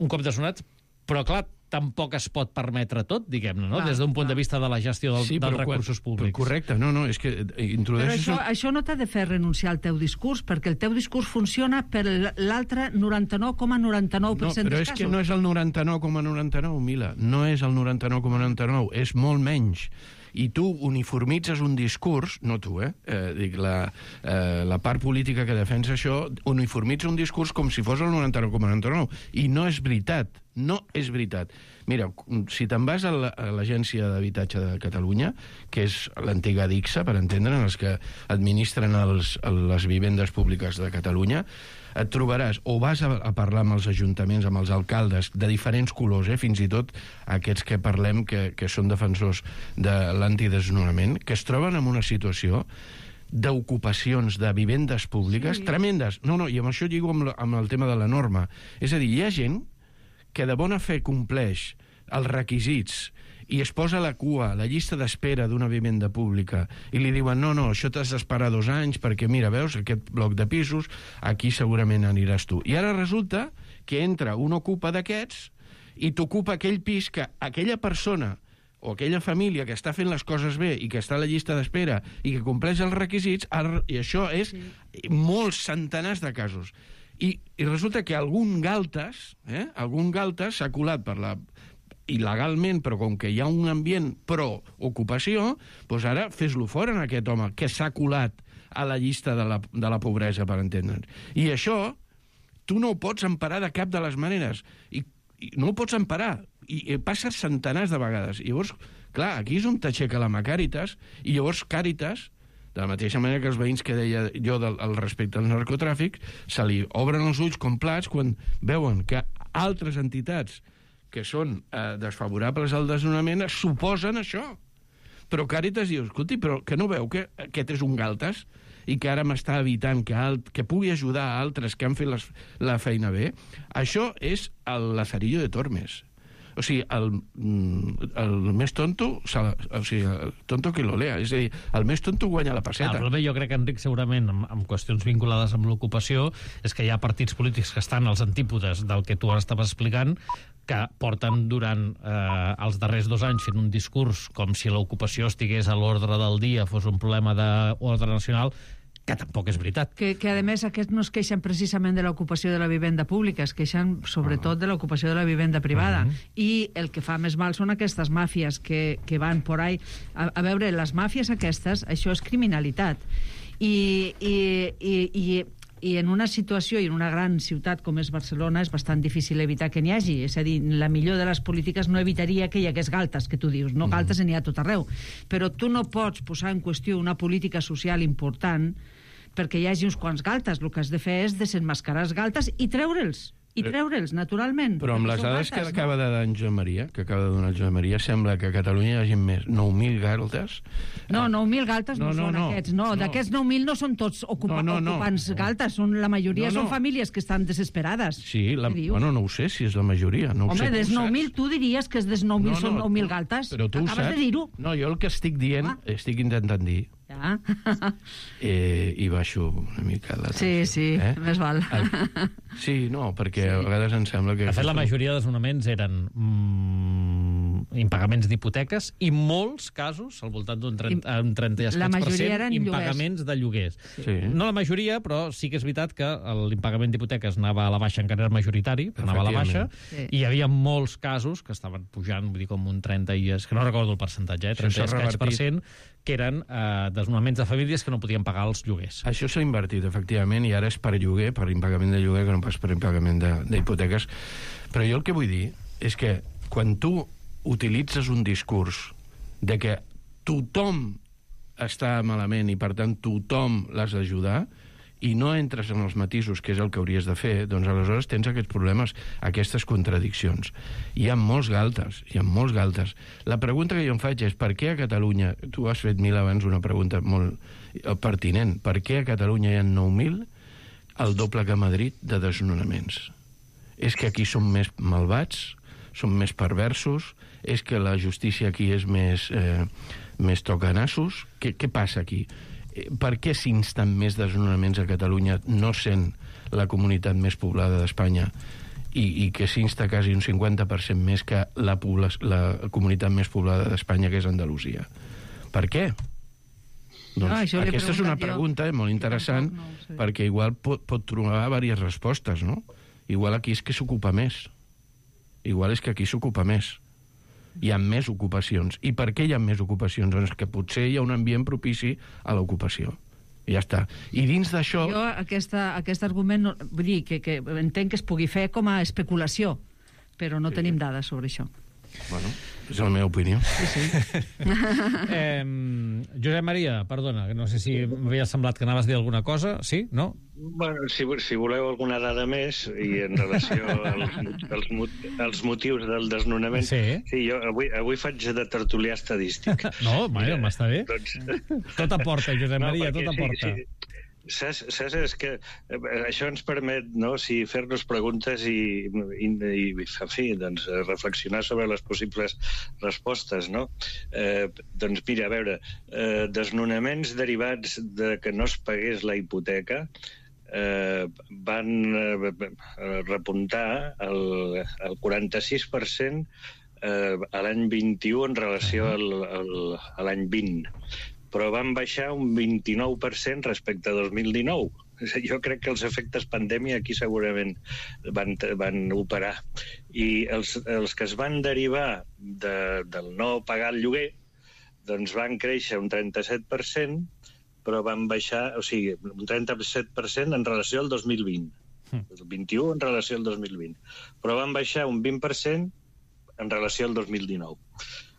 un cop desnonat, però clar, tampoc es pot permetre tot, diguem-ne, no? Clar, des d'un punt clar. de vista de la gestió del, sí, dels quan, recursos públics. Correcte, no, no, és que introdueixes... Però això, això no t'ha de fer renunciar al teu discurs, perquè el teu discurs funciona per l'altre noranta-nou coma noranta-nou per cent no, però dels és casos. que no és el noranta-nou coma noranta-nou, Mila, no és el noranta-nou coma noranta-nou, és molt menys. I tu uniformitzes un discurs, no tu, eh? eh dic, la, eh, la part política que defensa això, uniformitza un discurs com si fos el noranta-nou coma noranta-nou. I no és veritat, no és veritat. Mira, si te'n vas a l'Agència d'Habitatge de Catalunya, que és l'antiga DICSA, per entendre, els que administren els, les vivendes públiques de Catalunya, et trobaràs, o vas a, a parlar amb els ajuntaments, amb els alcaldes, de diferents colors, eh? Fins i tot aquests que parlem que, que són defensors de l'antidesnonament, que es troben en una situació d'ocupacions de vivendes públiques sí. tremendes. No, no, i amb això lligo amb, amb el tema de la norma. És a dir, hi ha gent que de bona fe compleix els requisits i es posa a la cua, a la llista d'espera d'una vivenda pública, i li diuen, no, no, això t'has d'esperar dos anys, perquè, mira, veus, aquest bloc de pisos, aquí segurament aniràs tu. I ara resulta que entra un ocupa d'aquests i t'ocupa aquell pis que aquella persona o aquella família que està fent les coses bé i que està a la llista d'espera i que compleix els requisits, i això és sí. molts centenars de casos. I, i resulta que algun galtes, eh, algun galtes s'ha colat per la... il·legalment, però com que hi ha un ambient pro-ocupació, doncs ara fes-lo fora en aquest home que s'ha colat a la llista de la, de la pobresa, per entendre'ns. I això tu no ho pots emparar de cap de les maneres. I, i no ho pots emparar. I, i passa centenars de vegades. I llavors, clar, aquí és on t'aixeca la mà Càritas, i llavors Càritas, de la mateixa manera que els veïns que deia jo del, al respecte al narcotràfic, se li obren els ulls com plats quan veuen que altres entitats que són eh, desfavorables al desnonament suposen això. Però Càritas diu, escolti, però que no veu que aquest és un galtes? i que ara m'està evitant que, alt, que pugui ajudar a altres que han fet les, la feina bé, això és el lazarillo de Tormes. O sigui, el, el més tonto, o sigui, el tonto que lo lea, és a dir, el més tonto guanya la passeta. Ah, però jo crec que, Enric, segurament, amb, amb qüestions vinculades amb l'ocupació, és que hi ha partits polítics que estan als antípodes del que tu ara estaves explicant, que porten durant eh, els darrers dos anys fent un discurs com si l'ocupació estigués a l'ordre del dia, fos un problema d'ordre nacional, que tampoc és veritat. Que, que a més, aquests no es queixen precisament de l'ocupació de la vivenda pública, es queixen sobretot de l'ocupació de la vivenda privada. Uh -huh. I el que fa més mal són aquestes màfies que, que van por ahí. A, a veure, les màfies aquestes, això és criminalitat. I, i, i, i, i en una situació i en una gran ciutat com és Barcelona és bastant difícil evitar que n'hi hagi. És a dir, la millor de les polítiques no evitaria que hi hagués galtes, que tu dius. No, galtes n'hi ha a tot arreu. Però tu no pots posar en qüestió una política social important perquè hi hagi uns quants galtes. El que has de fer és desenmascarar els galtes i treure'ls. I treure'ls, naturalment. Però amb les dades que acaba de dar en Joan Maria, que acaba de donar Joan Maria, sembla que a Catalunya hi hagi més nou mil galtes. No, nou mil galtes no, no són no, aquests. No, no. D'aquests nou mil no són tots ocupa no, no, ocupants no. galtes. Són, la majoria no, no. són famílies que estan desesperades. Sí, la, bueno, no ho sé si és la majoria. No Home, sé, des nou mil tu diries que des nou mil no, no, són nou mil galtes. Però tu Acabes saps. de dir-ho. No, jo el que estic dient, ah. estic intentant dir, ja. eh, i baixo una mica la tensió. Sí, sí, eh? més val. El, sí, no, perquè sí. a vegades em sembla que... De fet, la majoria de desnonaments eren mm, impagaments d'hipoteques i molts casos, al voltant d'un trenta, un trenta i escaig per cent, impagaments de lloguers. Sí. No la majoria, però sí que és veritat que l'impagament d'hipoteques anava a la baixa, encara era majoritari, però anava a la baixa, sí. i hi havia molts casos que estaven pujant, vull dir, com un trenta i... És que no recordo el percentatge, eh? trenta i escaig per cent, que eren eh, desnonaments de famílies que no podien pagar els lloguers. Això s'ha invertit, efectivament, i ara és per lloguer, per impagament de lloguer, que no pas per impagament d'hipoteques. Però jo el que vull dir és que quan tu utilitzes un discurs de que tothom està malament i, per tant, tothom l'has d'ajudar, i no entres en els matisos, que és el que hauries de fer, doncs aleshores tens aquests problemes, aquestes contradiccions. Hi ha molts galtes, hi ha molts galtes. La pregunta que jo em faig és per què a Catalunya, tu has fet mil abans una pregunta molt pertinent, per què a Catalunya hi ha nou mil, el doble que a Madrid, de desnonaments? És que aquí som més malvats, som més perversos, és que la justícia aquí és més, eh, més tocanassos? Què, què passa aquí? Per què s'insten més desnonaments a Catalunya, no sent la comunitat més poblada d'Espanya, i, i que s'insta quasi un cinquanta per cent més que la, la comunitat més poblada d'Espanya, que és Andalusia? Per què? Doncs no, aquesta és una pregunta jo. molt interessant, no, no, sí. perquè igual pot, pot trobar diverses respostes, no? Igual aquí és que s'ocupa més. Igual és que aquí s'ocupa més. Hi ha més ocupacions. I per què hi ha més ocupacions? Doncs que potser hi ha un ambient propici a l'ocupació. I ja està. I dins d'això... Jo aquesta, aquest argument, no, vull dir, que, que entenc que es pugui fer com a especulació, però no sí. tenim dades sobre això. Bueno, és la meva opinió. Sí, sí. eh, Josep Maria, perdona, no sé si m'havia semblat que anaves a dir alguna cosa. Sí? No? Bueno, si, si voleu alguna dada més i en relació als, als, als motius del desnonament, sí. sí, jo avui, avui faig de tertulià estadístic. No, bueno, m'està bé. Doncs... Tot aporta, Josep Maria, no, tot aporta. Sí, sí. Saps, saps, és que això ens permet, no, si fer-nos preguntes i, i, i en fi, doncs, reflexionar sobre les possibles respostes, no? Eh, doncs mira, a veure, eh, desnonaments derivats de que no es pagués la hipoteca eh, van eh, repuntar el, el quaranta-sis per cent eh, a l'any vint-i-u en relació al, al, a l'any vint, però van baixar un vint-i-nou per cent respecte a dos mil dinou. Jo crec que els efectes pandèmia aquí segurament van, van operar. I els, els que es van derivar de, del no pagar el lloguer doncs van créixer un trenta-set per cent, però van baixar, o sigui, un trenta-set per cent en relació al dos mil vint. El vint-i-u en relació al dos mil vint. Però van baixar un vint per cent en relació al dos mil dinou.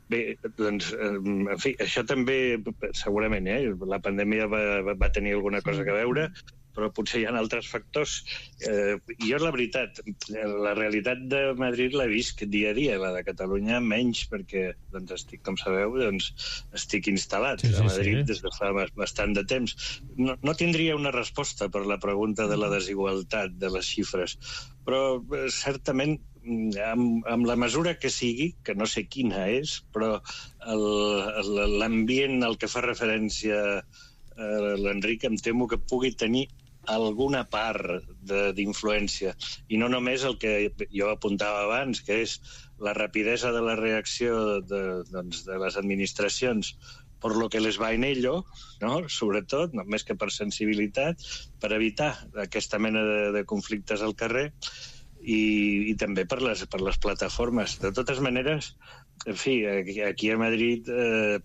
Bé, doncs, en fi, això també, segurament, eh? La pandèmia va, va tenir alguna cosa a veure, però potser hi ha altres factors. Eh, jo, la veritat, la realitat de Madrid l'he vist dia a dia, la de Catalunya menys, perquè, doncs, estic, com sabeu, doncs, estic instal·lat sí, sí, a Madrid sí. des de fa bastant de temps. No, no tindria una resposta per la pregunta de la desigualtat de les xifres, però certament amb, amb la mesura que sigui, que no sé quina és, però l'ambient al que fa referència eh, l'Enric, em temo que pugui tenir alguna part d'influència, i no només el que jo apuntava abans, que és la rapidesa de la reacció de, doncs, de les administracions per lo que les va en ello, no? Sobretot, no més que per sensibilitat, per evitar aquesta mena de, de conflictes al carrer, i, i també per les, per les plataformes. De totes maneres, en fi, aquí a Madrid eh,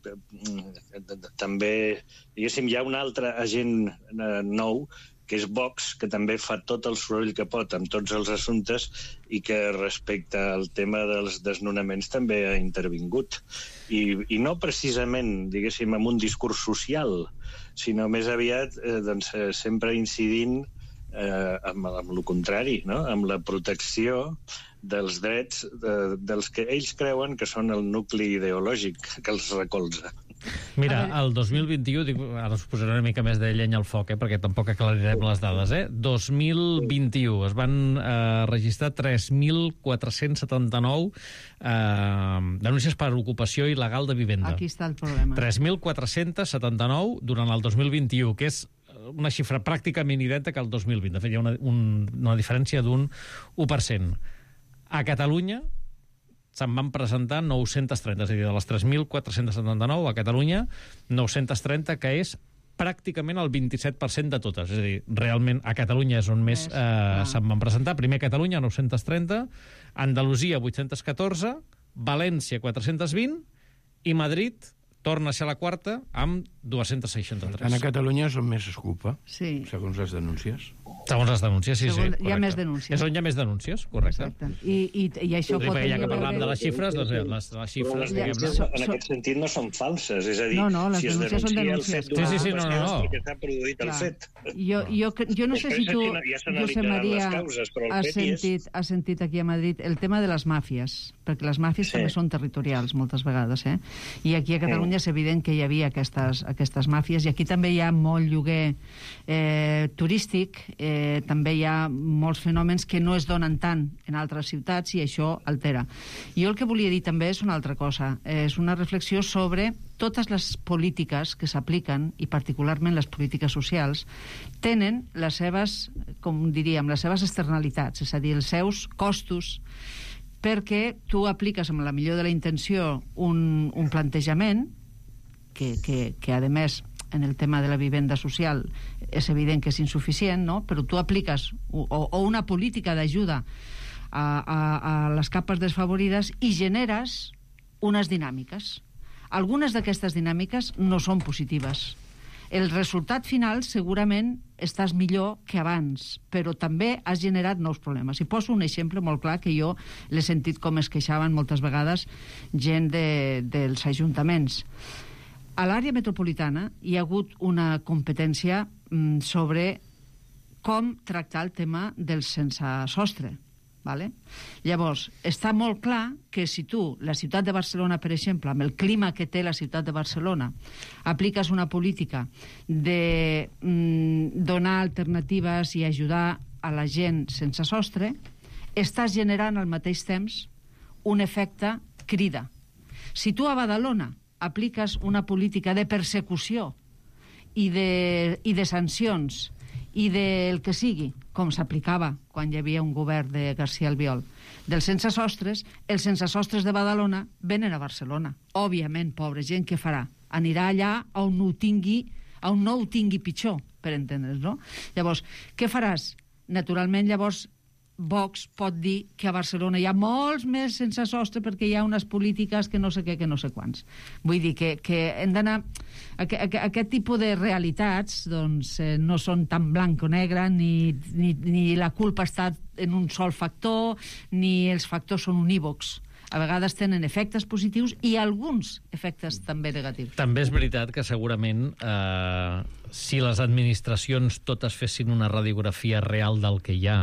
també, diguéssim, hi ha un altre agent eh, nou, que és Vox, que també fa tot el soroll que pot amb tots els assumptes i que respecte al tema dels desnonaments també ha intervingut. I, i no precisament, diguéssim, amb un discurs social, sinó més aviat eh, doncs, sempre incidint eh, amb, amb el contrari, no? Amb la protecció dels drets de, dels que ells creuen que són el nucli ideològic que els recolza. Mira, el dos mil vint-i-u, dic, ara us posaré una mica més de llenya al foc, eh, perquè tampoc aclarirem les dades, eh? dos mil vint-i-u es van eh, registrar tres mil quatre-cents setanta-nou eh, denúncies per ocupació il·legal de vivenda. Aquí està el problema. tres mil quatre-cents setanta-nou durant el dos mil vint-i-u, que és una xifra pràcticament idèntica al dos mil vint. De fet, hi ha una, un, una diferència d'un u per cent. A Catalunya se'n van presentar nou-cents trenta, és a dir, de les tres mil quatre-cents setanta-nou a Catalunya, nou-cents trenta, que és pràcticament el vint-i-set per cent de totes. És a dir, realment a Catalunya és on més eh, se'n van presentar. Primer Catalunya, nou-cents trenta, Andalusia, vuit-cents catorze, València, quatre-cents vint, i Madrid torna a ser la quarta amb dos-cents seixanta-tres. En Catalunya és on més es culpa, sí. segons les denúncies. Segons les denúncies, sí, Segons, sí. Hi ha més denúncies. És on hi ha més denúncies, correcte. Exacte. I, i, i això sí, pot tenir... Ja que parlàvem de les xifres, doncs les, les xifres, les diguem-ne... so, en aquest sentit no són falses, és a dir, no, no, les si es denúncies són denuncia el denúncies. fet Sí, sí, sí, no, no, no. perquè s'ha produït Clar. el fet. Jo, jo, jo no sé si tu, ja Josep Maria, causes, has, sentit, has sentit aquí a Madrid el tema de les màfies, perquè les màfies sí. també són territorials moltes vegades, eh? I aquí a Catalunya sí. és evident que hi havia aquestes, aquestes màfies, i aquí també hi ha molt lloguer eh, turístic, eh, també hi ha molts fenòmens que no es donen tant en altres ciutats, i això altera. Jo el que volia dir també és una altra cosa, és una reflexió sobre totes les polítiques que s'apliquen, i particularment les polítiques socials, tenen les seves, com diríem, les seves externalitats, és a dir, els seus costos, perquè tu apliques amb la millor de la intenció un, un plantejament que, que, que, a més, en el tema de la vivenda social és evident que és insuficient, no? Però tu apliques o, o una política d'ajuda a, a, a les capes desfavorides i generes unes dinàmiques. Algunes d'aquestes dinàmiques no són positives. El resultat final segurament estàs millor que abans, però també has generat nous problemes. I poso un exemple molt clar que jo l'he sentit com es queixaven moltes vegades gent de, dels ajuntaments. A l'àrea metropolitana hi ha hagut una competència mm, sobre com tractar el tema del sense sostre. Vale? Llavors, està molt clar que si tu, la ciutat de Barcelona, per exemple, amb el clima que té la ciutat de Barcelona, apliques una política de mm, donar alternatives i ajudar a la gent sense sostre, estàs generant al mateix temps un efecte crida. Si tu a Badalona apliques una política de persecució i de, i de sancions i del que sigui, com s'aplicava quan hi havia un govern de García Albiol, dels sense sostres, els sense sostres de Badalona venen a Barcelona. Òbviament, pobra gent, què farà? Anirà allà on no ho tingui, on no ho tingui pitjor, per entendre's, no? Llavors, què faràs? Naturalment, llavors, Vox pot dir que a Barcelona hi ha molts més sense sostre perquè hi ha unes polítiques que no sé què, que no sé quants. Vull dir que, que hem d'anar... Aqu aqu aquest tipus de realitats doncs, eh, no són tan blanc o negre, ni, ni, ni la culpa està en un sol factor, ni els factors són unívocs. a vegades tenen efectes positius i alguns efectes també negatius. També és veritat que segurament eh, si les administracions totes fessin una radiografia real del que hi ha,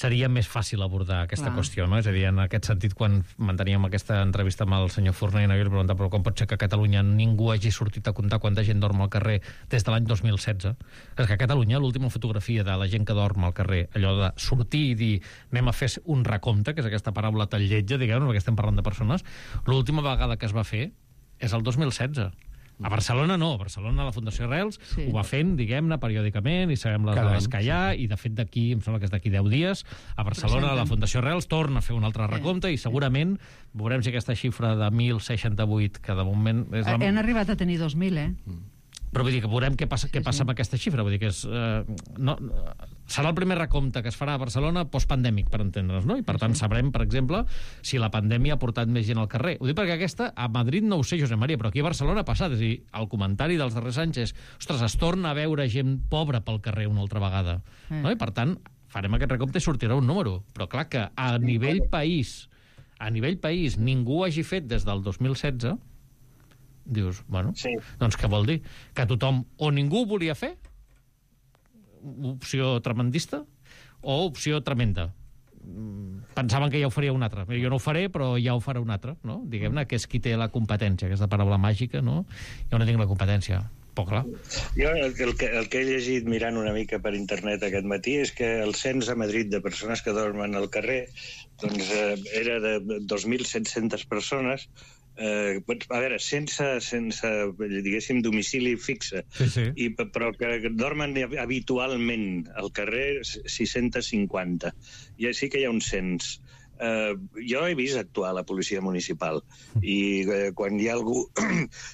seria més fàcil abordar aquesta Clar. qüestió, no? És a dir, en aquest sentit, quan manteníem aquesta entrevista amb el senyor Forner, jo li preguntava, però com pot ser que a Catalunya ningú hagi sortit a comptar quanta gent dorm al carrer des de l'any dos mil setze? És que a Catalunya l'última fotografia de la gent que dorm al carrer, allò de sortir i dir anem a fer un recompte, que és aquesta paraula tan lletja, diguem, perquè estem parlant de persones, l'última vegada que es va fer és el dos mil setze. A Barcelona no, a Barcelona la Fundació Arrels sí. ho va fent, diguem-ne, periòdicament, i sabem les dades que hi ha, i de fet d'aquí, em sembla que és d'aquí deu dies, a Barcelona la Fundació Arrels torna a fer un altre recompte, i segurament veurem si aquesta xifra de mil seixanta-vuit, que de moment... És la... Han arribat a tenir dos mil, eh? Però vull dir que veurem què passa, què passa amb aquesta xifra. Vull dir que és, eh, no, serà el primer recompte que es farà a Barcelona postpandèmic, per entendre's, no? I per tant sabrem, per exemple, si la pandèmia ha portat més gent al carrer. Ho dic perquè aquesta, a Madrid no ho sé, Josep Maria, però aquí a Barcelona ha passat. És a dir, el comentari dels darrers anys és, ostres, es torna a veure gent pobra pel carrer una altra vegada. No? I per tant, farem aquest recompte i sortirà un número. Però clar que a nivell país, a nivell país, ningú hagi fet des del dos mil setze... dius, bueno, sí. doncs què vol dir? Que tothom o ningú volia fer, opció tremendista, o opció tremenda. Pensaven que ja ho faria un altre. Jo no ho faré, però ja ho farà un altre, no? Diguem-ne que és qui té la competència, aquesta paraula màgica, no? Jo no tinc la competència. Però clar. Jo el, el, que, el que he llegit mirant una mica per internet aquest matí és que el cens a Madrid de persones que dormen al carrer doncs, eh, era de dos mil set-centes persones. Eh, a veure, sense, sense diguéssim, domicili fixe, sí, sí. I, però que dormen habitualment al carrer sis-cents cinquanta. I sí que hi ha un cens. Eh, jo he vist actuar la policia municipal i eh, quan hi ha algú,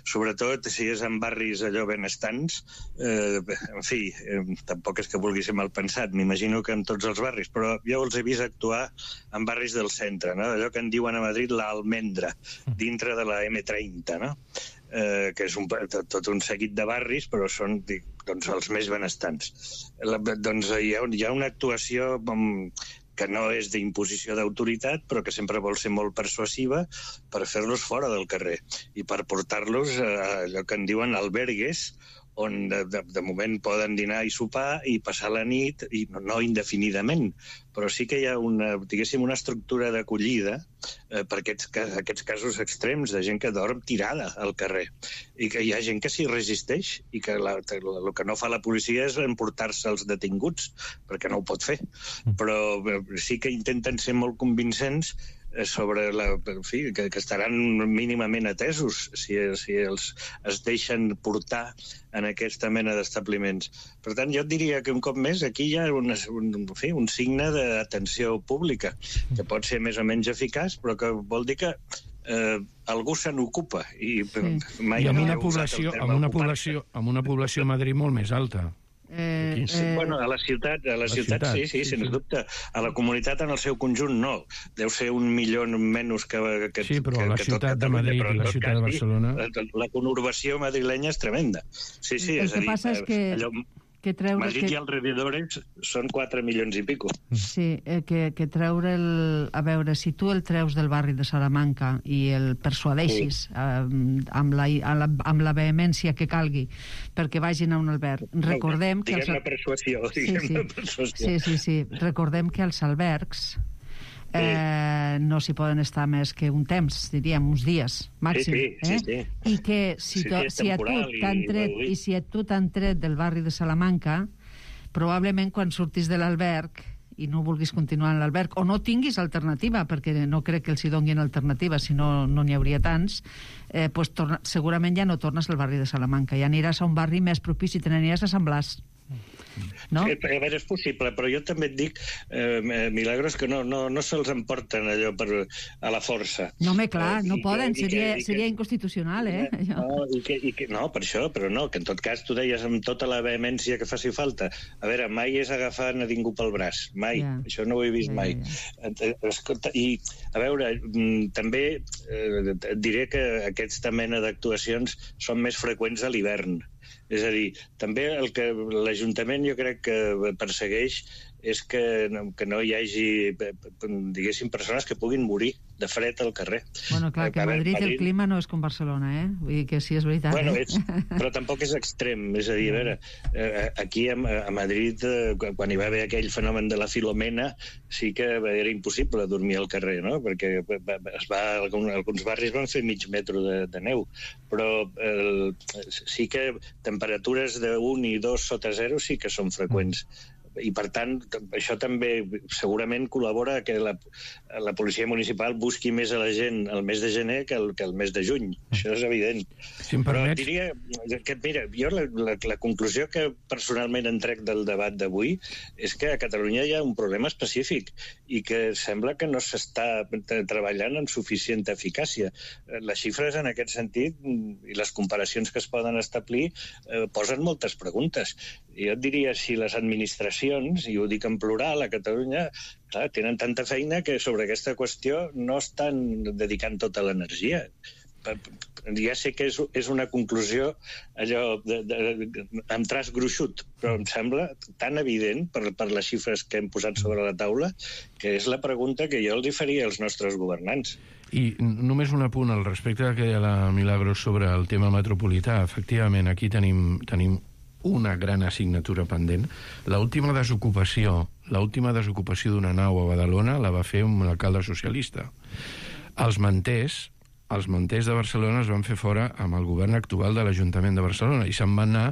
sobretot si és en barris allò benestants, eh, en fi, eh, tampoc és que vulgui ser mal pensat, m'imagino que en tots els barris, però jo els he vist actuar en barris del centre, no? Allò que en diuen a Madrid l'Almendra, dintre de la eme trenta, no? Eh, que és un, tot un seguit de barris, però són dic, doncs, els més benestants. La, doncs hi ha, hi ha una actuació com, que no és d'imposició d'autoritat, però que sempre vol ser molt persuasiva per fer-los fora del carrer i per portar-los a allò que en diuen albergues, on de, de, de moment poden dinar i sopar i passar la nit, i no, no indefinidament, però sí que hi ha una, diguéssim, una estructura d'acollida eh, per aquests, aquests casos extrems de gent que dorm tirada al carrer i que hi ha gent que s'hi resisteix i que la, el que no fa la policia és emportar-se els detinguts perquè no ho pot fer, però eh, sí que intenten ser molt convincents sobre la, en fi, que, que estaran mínimament atesos si, si els es deixen portar en aquesta mena d'establiments. Per tant, jo et diria que un cop més aquí hi ha un, un, en fi, un signe d'atenció pública que pot ser més o menys eficaç, però que vol dir que eh, algú se n'ocupa. I, sí. mai I amb una població, amb una població, amb una població a Madrid molt més alta. Eh, eh... Bueno, a la ciutat, a la, la ciutat, ciutat sí, sí, sí, sens sí. dubte. A la comunitat en el seu conjunt no. Deu ser un milió menys que, que sí, però que, la que ciutat de Madrid i la ciutat de Barcelona... La, la conurbació madrilenya és tremenda. Sí, sí, el és que a dir, passa és que... allò... que treure... Madrid que... i alrededores són quatre milions i pico. Sí, eh, que, que treure el... A veure, si tu el treus del barri de Salamanca i el persuadeixis sí. eh, amb, la, amb, la, amb la vehemència que calgui perquè vagin a un alberg, recordem que... Diguem-ne els... persuasió, diguem-ne sí, sí. persuasió. Sí, sí, sí. Recordem que els albergs Eh, no s'hi poden estar més que un temps, diríem, uns dies màxim. Sí, sí, eh? sí, sí. I que si, sí, to, sí, si a tu t'han tret, i, i si a tu t'han tret del barri de Salamanca, probablement quan surtis de l'alberg i no vulguis continuar en l'alberg, o no tinguis alternativa, perquè no crec que els hi donguin alternativa, si no no n'hi hauria tants, eh, pues torna, segurament ja no tornes al barri de Salamanca, ja aniràs a un barri més propici, te n'aniràs a Sant Blas. No? A veure, és possible, però jo també et dic, eh, Milagros, que no, no, no se'ls emporten allò per, a la força. No, home, clar, no I poden, que, seria, que, seria que, inconstitucional, eh? No, i que, i que, no, per això, però no, que en tot cas tu deies amb tota la vehemència que faci falta. A veure, mai és agafar a ningú pel braç, mai, yeah. Això no ho he vist yeah, mai. Yeah. Escolta, i, a veure, també eh, et diré que aquesta mena d'actuacions són més freqüents a l'hivern. És a dir, també el que l'Ajuntament jo crec que persegueix és que no, que no hi hagi, diguéssim, persones que puguin morir de fred al carrer. Bueno, clar, que a Madrid, Madrid el clima no és com Barcelona, eh? Vull dir que sí, és veritat. Bueno, eh? és, però tampoc és extrem, és a dir, a veure, aquí a, a Madrid, quan hi va haver aquell fenomen de la Filomena, sí que era impossible dormir al carrer, no? Perquè es va, alguns barris van fer mig metro de, de neu, però el, sí que temperatures d'un i dos sota zero sí que són freqüents. I, per tant, això també segurament col·labora que la, la policia municipal busqui més a la gent el mes de gener que el, que el mes de juny. Això és evident. Si em Però permets... diria que, mira, jo la, la, la conclusió que personalment en trec del debat d'avui és que a Catalunya hi ha un problema específic i que sembla que no s'està treballant amb suficient eficàcia. Les xifres en aquest sentit i les comparacions que es poden establir eh, posen moltes preguntes. Jo et diria, si les administracions, i ho dic en plural, a Catalunya, clar, tenen tanta feina que sobre aquesta qüestió no estan dedicant tota l'energia. Ja sé que és, és una conclusió allò de, de, amb traç gruixut, però em sembla tan evident per, per les xifres que hem posat sobre la taula que és la pregunta que jo els faria als nostres governants. I només un apunt al respecte que deia la Milagros sobre el tema metropolità. Efectivament, aquí tenim, tenim una gran assignatura pendent. L'última desocupació, l'última desocupació d'una nau a Badalona la va fer un alcalde socialista. Els manters, els manters de Barcelona es van fer fora amb el govern actual de l'Ajuntament de Barcelona i se'n van anar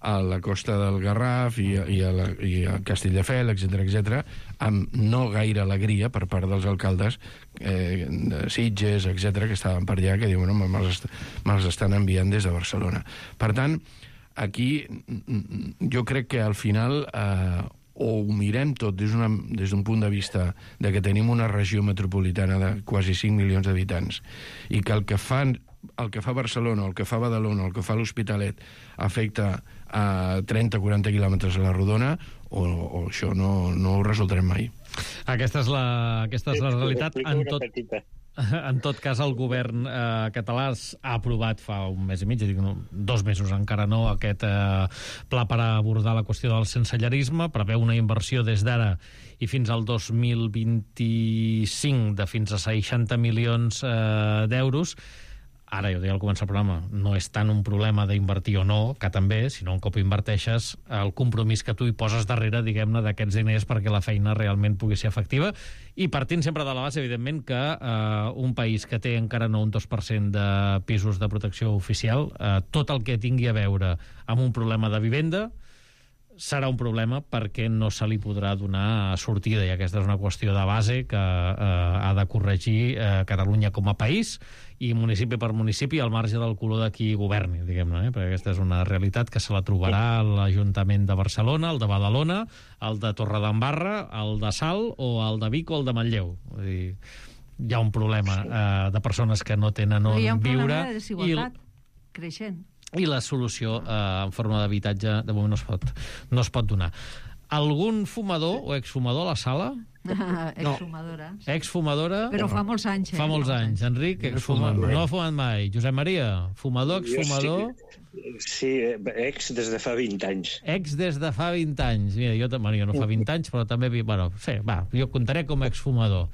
a la costa del Garraf i a, i a, la, i a Castelldefels, etcètera, etcètera, amb no gaire alegria per part dels alcaldes eh, de Sitges, etcètera, que estaven per allà, que diuen, no, me'ls est me estan enviant des de Barcelona. Per tant, aquí jo crec que al final eh, o ho mirem tot des d'un punt de vista de que tenim una regió metropolitana de quasi cinc milions d'habitants i que el que fan el que fa Barcelona, el que fa Badalona, el que fa l'Hospitalet afecta a trenta a quaranta quilòmetres a la rodona, o, o això no, no ho resoldrem mai. Aquesta és la, aquesta és la realitat. En tot, en tot cas, el govern eh, català ha aprovat fa un mes i mig, dic, no, dos mesos encara no, aquest eh, pla per abordar la qüestió del sensellarisme, preveu una inversió des d'ara i fins al dos mil vint-i-cinc de fins a seixanta milions eh, d'euros. Ara, jo deia al començar el programa, no és tant un problema d'invertir o no, que també, sinó un cop inverteixes, el compromís que tu hi poses darrere, diguem-ne, d'aquests diners perquè la feina realment pugui ser efectiva, i partint sempre de la base, evidentment, que eh, un país que té encara no un dos per cent de pisos de protecció oficial, eh, tot el que tingui a veure amb un problema de vivenda serà un problema perquè no se li podrà donar sortida, i aquesta és una qüestió de base que eh, ha de corregir eh, Catalunya com a país i municipi per municipi al marge del color de qui governi, diguem-ne, eh? Perquè aquesta és una realitat que se la trobarà l'Ajuntament de Barcelona, el de Badalona, el de Torredembarra, el de Salt o el de Vic o el de Manlleu. Vull dir, hi ha un problema eh, de persones que no tenen on viure. Hi ha un problema de desigualtat creixent. I la solució eh, en forma d'habitatge de moment no es pot, no es pot donar. Algun fumador o exfumador a la sala? Exfumadora. No. Exfumadora. Però fa molts anys. Eh? Fa molts anys. Enric, exfumador. No ha fumat mai. Josep Maria, fumador, exfumador... Sí, ex des de fa vint anys. Ex des de fa vint anys. Mira, jo, bueno, jo no fa vint anys, però també... Bueno, sí, va, jo contaré com a exfumador.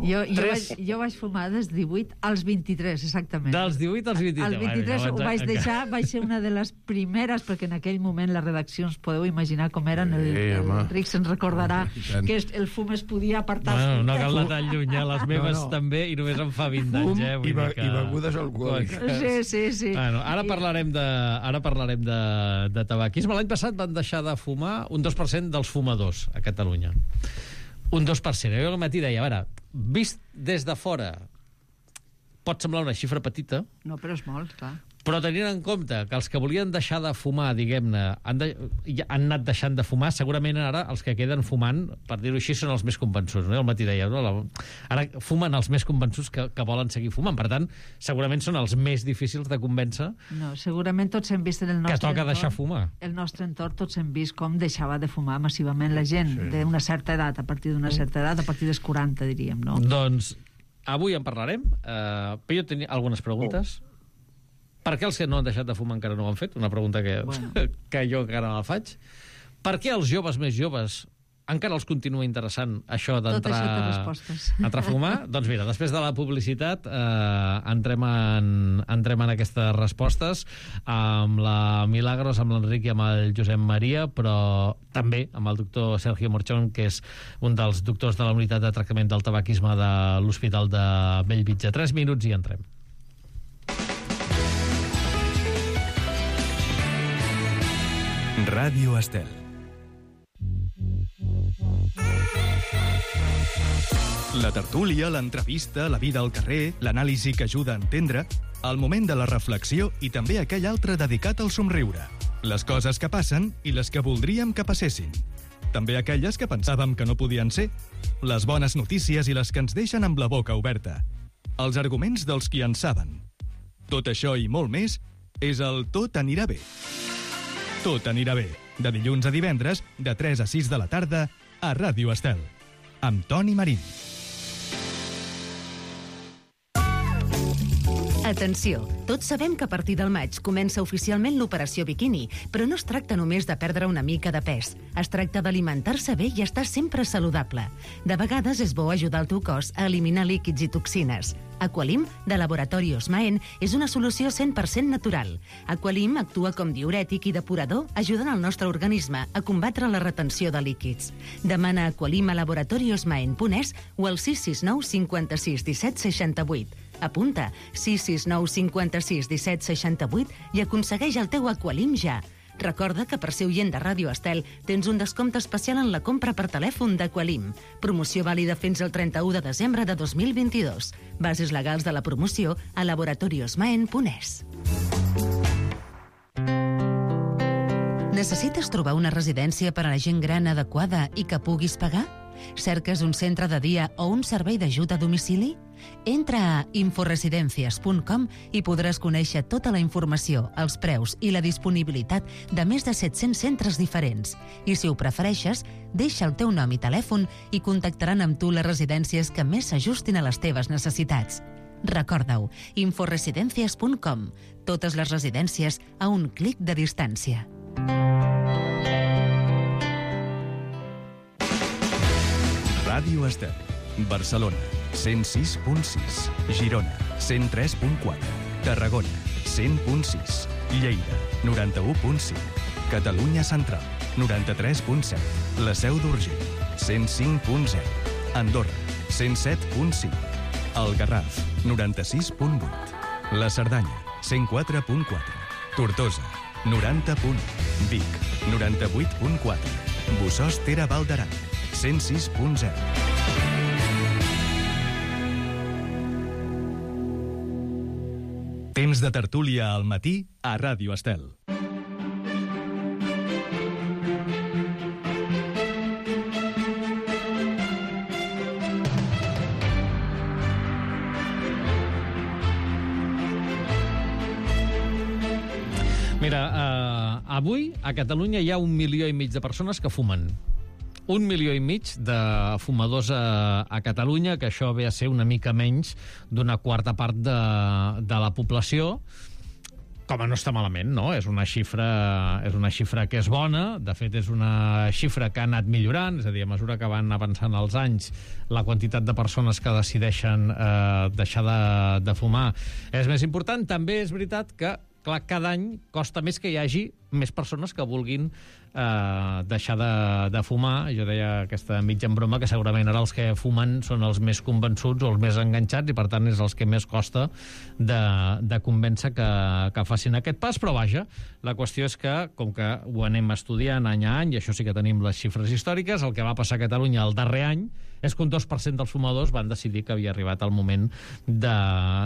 Jo, jo, vaig, jo vaig fumar dels divuit als vint-i-tres, exactament. Dels divuit als vint-i-tres. Als vint-i-tres bueno, ho vaig deixar, vaig ser una de les primeres, perquè en aquell moment les redaccions, podeu imaginar com eren, el, el Ric se'n recordarà que el fum es podia apartar. Bueno, no cal anar tan lluny, eh? Les meves no, no. també, i només em fa vint anys. Eh? Vull I, be que... i begudes alcohòliques. Sí, sí, sí. Bueno, ara parlarem de, ara parlarem de, de tabaquisme. L'any passat van deixar de fumar un dos per cent dels fumadors a Catalunya. Un dos per cent. Jo al matí deia, a veure, vist des de fora pot semblar una xifra petita. No, però és molt, clar. Però tenint en compte que els que volien deixar de fumar, diguem-ne, han, de, han anat deixant de fumar, segurament ara els que queden fumant, per dir-ho així, són els més convençuts. No? El matí deia, no? Ara fumen els més convençuts que, que volen seguir fumant. Per tant, segurament són els més difícils de convèncer. No, segurament tots hem vist en el nostre que toca entorn, deixar fumar. El nostre entorn tots hem vist com deixava de fumar massivament la gent sí. d'una certa edat, a partir d'una certa edat, a partir dels quaranta, diríem, no? Doncs avui en parlarem. Uh, però jo tenia algunes preguntes. Oh. Per què els que no han deixat de fumar encara no ho han fet? Una pregunta que, bueno. que jo encara la faig. Per què els joves més joves encara els continua interessant això d'entrar entrar a fumar? Doncs mira, després de la publicitat eh, entrem, en, entrem en aquestes respostes amb la Milagros, amb l'Enric i amb el Josep Maria, però també amb el doctor Sergio Morchón, que és un dels doctors de la unitat de tractament del tabaquisme de l'Hospital de Bellvitge. Tres minuts i entrem. Ràdio Estel. La tertúlia, l'entrevista, la vida al carrer, l'anàlisi que ajuda a entendre, el moment de la reflexió i també aquell altre dedicat al somriure. Les coses que passen i les que voldríem que passessin. També aquelles que pensàvem que no podien ser. Les bones notícies i les que ens deixen amb la boca oberta. Els arguments dels qui en saben. Tot això i molt més és el Tot anirà bé. Tot anirà bé, de dilluns a divendres, de tres a sis de la tarda, a Ràdio Estel, amb Toni Marín. Atenció, tots sabem que a partir del maig comença oficialment l'operació biquini, però no es tracta només de perdre una mica de pes. Es tracta d'alimentar-se bé i estar sempre saludable. De vegades és bo ajudar el teu cos a eliminar líquids i toxines. Aqualim, de Laboratori Osmaen, és una solució cent per cent natural. Aqualim actua com diürètic i depurador, ajudant el nostre organisme a combatre la retenció de líquids. Demana Aqualim a laboratori osmaen punt es o al sis sis nou cinquanta-sis disset seixanta-vuit. Apunta sis sis nou cinquanta-sis disset seixanta-vuit i aconsegueix el teu Aqualim ja. Recorda que per ser oient de Ràdio Estel tens un descompte especial en la compra per telèfon d'Aqualim. Promoció vàlida fins al trenta-u de desembre de dos mil vint-i-dos. Bases legals de la promoció a laboratori osmaen punt es. Necessites trobar una residència per a la gent gran adequada i que puguis pagar? Cerques un centre de dia o un servei d'ajut a domicili? Entra a inforesidencias punt com i podràs conèixer tota la informació, els preus i la disponibilitat de més de set-cents centres diferents. I si ho prefereixes, deixa el teu nom i telèfon i contactaran amb tu les residències que més s'ajustin a les teves necessitats. Recorda-ho, inforesidencias punt com. Totes les residències a un clic de distància. Ràdio Estel, Barcelona, cent sis punt sis, Girona, cent tres punt quatre, Tarragona, cent punt sis, Lleida, noranta-u punt cinc, Catalunya Central, noranta-tres punt set, La Seu d'Urgell, cent cinc punt zero, Andorra, cent set punt cinc, El Garraf, noranta-sis punt vuit, La Cerdanya, cent quatre punt quatre, Tortosa, noranta punt u, Vic, noranta-vuit punt quatre, Bossòst Tere Val d'Aran, cent sis punt zero. Temps de tertúlia al matí a Ràdio Estel. Mira, eh, avui a Catalunya hi ha un milió i mig de persones que fumen. Un milió i mig de fumadors a, a Catalunya, que això ve a ser una mica menys d'una quarta part de, de la població. Com a no està malament, no? És una xifra, és una xifra que és bona. De fet, és una xifra que ha anat millorant. És a dir, a mesura que van avançant els anys, la quantitat de persones que decideixen eh, deixar de, de fumar és més important. També és veritat que, clar, cada any costa més que hi hagi més persones que vulguin eh, deixar de, de fumar. Jo deia aquesta mitja en broma que segurament ara els que fumen són els més convençuts o els més enganxats i per tant és els que més costa de, de convèncer que, que facin aquest pas, però vaja, la qüestió és que com que ho anem estudiant any a any i això sí que tenim les xifres històriques, el que va passar a Catalunya el darrer any és que un dos per cent dels fumadors van decidir que havia arribat el moment de,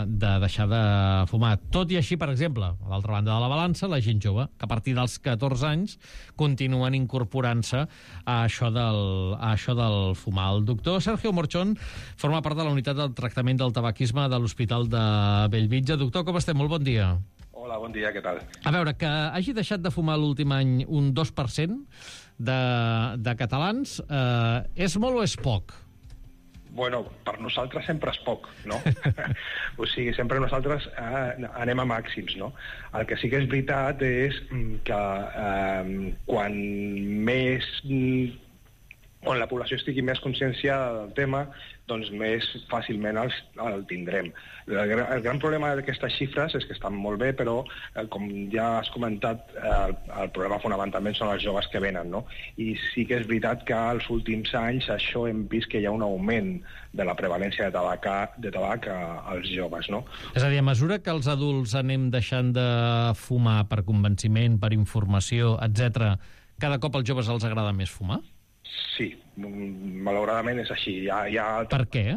de deixar de fumar. Tot i així, per exemple, a l'altra banda de la balança, la gent jove, que a partir dels catorze anys continuen incorporant-se a això del, a això del fumar. El doctor Sergio Morchón forma part de la unitat del tractament del tabaquisme de l'Hospital de Bellvitge. Doctor, com estem? Molt bon dia. Hola, bon dia, què tal? A veure, que hagi deixat de fumar l'últim any un dos per cent de, de catalans, eh, és molt o és poc? Bueno, per nosaltres sempre és poc, no? O sigui, sempre nosaltres eh, anem a màxims, no? El que sí que és veritat és que eh, quan més on la població estigui més conscienciada del tema, doncs més fàcilment el, el tindrem. El, el gran problema d'aquestes xifres és que estan molt bé, però, eh, com ja has comentat, eh, el, el problema fonamentalment són els joves que venen, no? I sí que és veritat que als últims anys això hem vist que hi ha un augment de la prevalència de tabac, de tabac als joves, no? És a dir, a mesura que els adults anem deixant de fumar per convenciment, per informació, etcètera, cada cop als joves els agrada més fumar? Sí, malauradament és així. Hi ha, hi ha... Per què?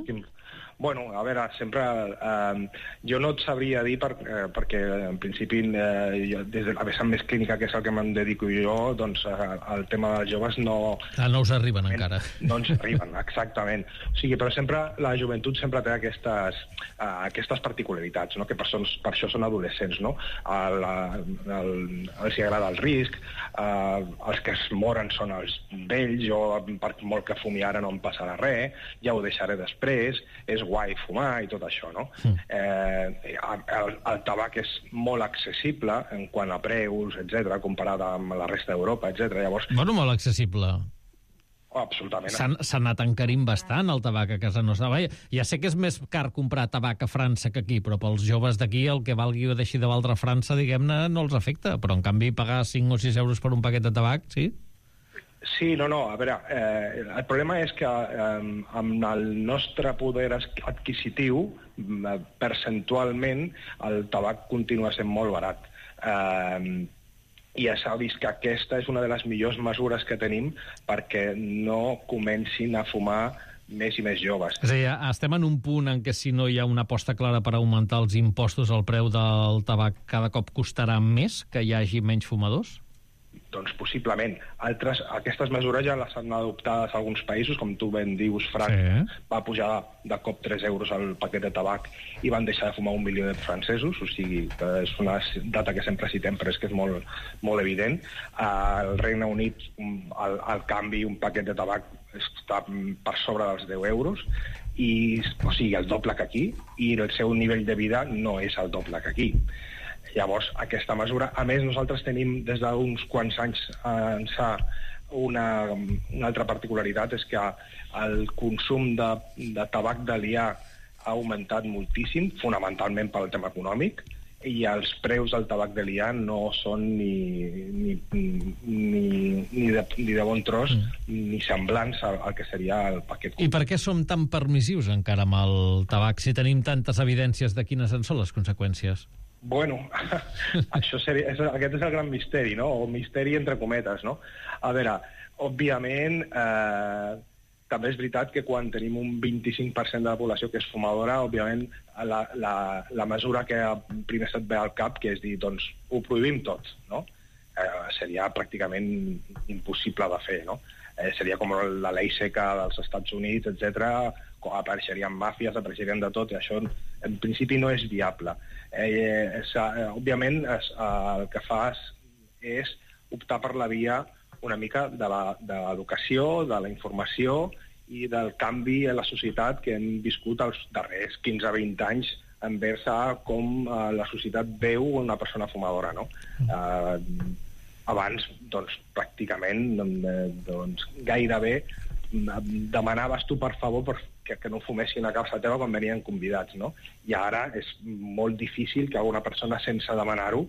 Bueno, a veure, sempre... Eh, jo no et sabria dir, per, eh, perquè en principi, eh, jo, des de la vessant més clínica, que és el que me'n dedico jo, doncs eh, el tema dels joves no... Ah, no us arriben encara. No ens arriben, exactament. O sigui, però sempre, la joventut sempre té aquestes, eh, aquestes particularitats, no? Que per, son, per això són adolescents, no? El, el, els hi agrada el risc, eh, els que es moren són els vells, jo per molt que fumi ara no em passarà res, ja ho deixaré després, és guai fumar i tot això, no? Mm. Eh, el, el tabac és molt accessible en quant a preus, etcètera, comparat amb la resta d'Europa, etcètera. Llavors... Bueno, molt accessible. Oh, absolutament. S'ha anat encarint bastant el tabac a casa nostra. Ja sé que és més car comprar tabac a França que aquí, però pels joves d'aquí el que valgui o deixi de valdre a França, diguem-ne, no els afecta. Però, en canvi, pagar cinc o sis euros per un paquet de tabac, sí? Sí, no, no, a veure, eh, el problema és que eh, amb el nostre poder adquisitiu, eh, percentualment, el tabac continua sent molt barat. Eh, I ja s'ha vist que aquesta és una de les millors mesures que tenim perquè no comencin a fumar més i més joves. És a dir, estem en un punt en què si no hi ha una aposta clara per augmentar els impostos, el preu del tabac cada cop costarà més que hi hagi menys fumadors? Doncs possiblement. Altres, aquestes mesures ja les han adoptades alguns països, com tu ben dius, França, sí. Va pujar de cop tres euros al paquet de tabac i van deixar de fumar un milió de francesos, o sigui, que és una data que sempre citem, però és que és molt, molt evident. Al Regne Unit, el, el canvi, un paquet de tabac està per sobre dels deu euros, i, o sigui, el doble que aquí, i el seu nivell de vida no és el doble que aquí. Llavors, aquesta mesura... A més, nosaltres tenim des d'uns quants anys ençà una, una altra particularitat, és que el consum de, de tabac de liar ha augmentat moltíssim, fonamentalment pel tema econòmic, i els preus del tabac de liar no són ni, ni, ni, ni, de, ni de bon tros mm. ni semblants al, al que seria el paquet. I per què som tan permissius encara amb el tabac si tenim tantes evidències de quines en són les conseqüències? Bueno, això seria, és, aquest és el gran misteri, no? O misteri entre cometes, no? A veure, òbviament, eh, també és veritat que quan tenim un vint-i-cinc per cent de la població que és fumadora, òbviament, la, la, la mesura que primer se't ve al cap, que és dir, doncs, ho prohibim tots, no? Eh, seria pràcticament impossible de fer, no? Eh, seria com la llei seca dels Estats Units, etcètera, apareixerien màfies, apareixerien de tot, i això en principi no és viable. Eh, és, eh, òbviament, es, eh, el que fas és optar per la via una mica de l'educació, de la informació i del canvi a la societat que hem viscut els darrers quinze a vint anys envers a com eh, la societat veu una persona fumadora, no? Eh, abans, doncs, pràcticament, doncs, gairebé demanaves tu, per favor, per, que, que no fumessin a casa teva quan venien convidats, no? I ara és molt difícil que alguna persona, sense demanar-ho,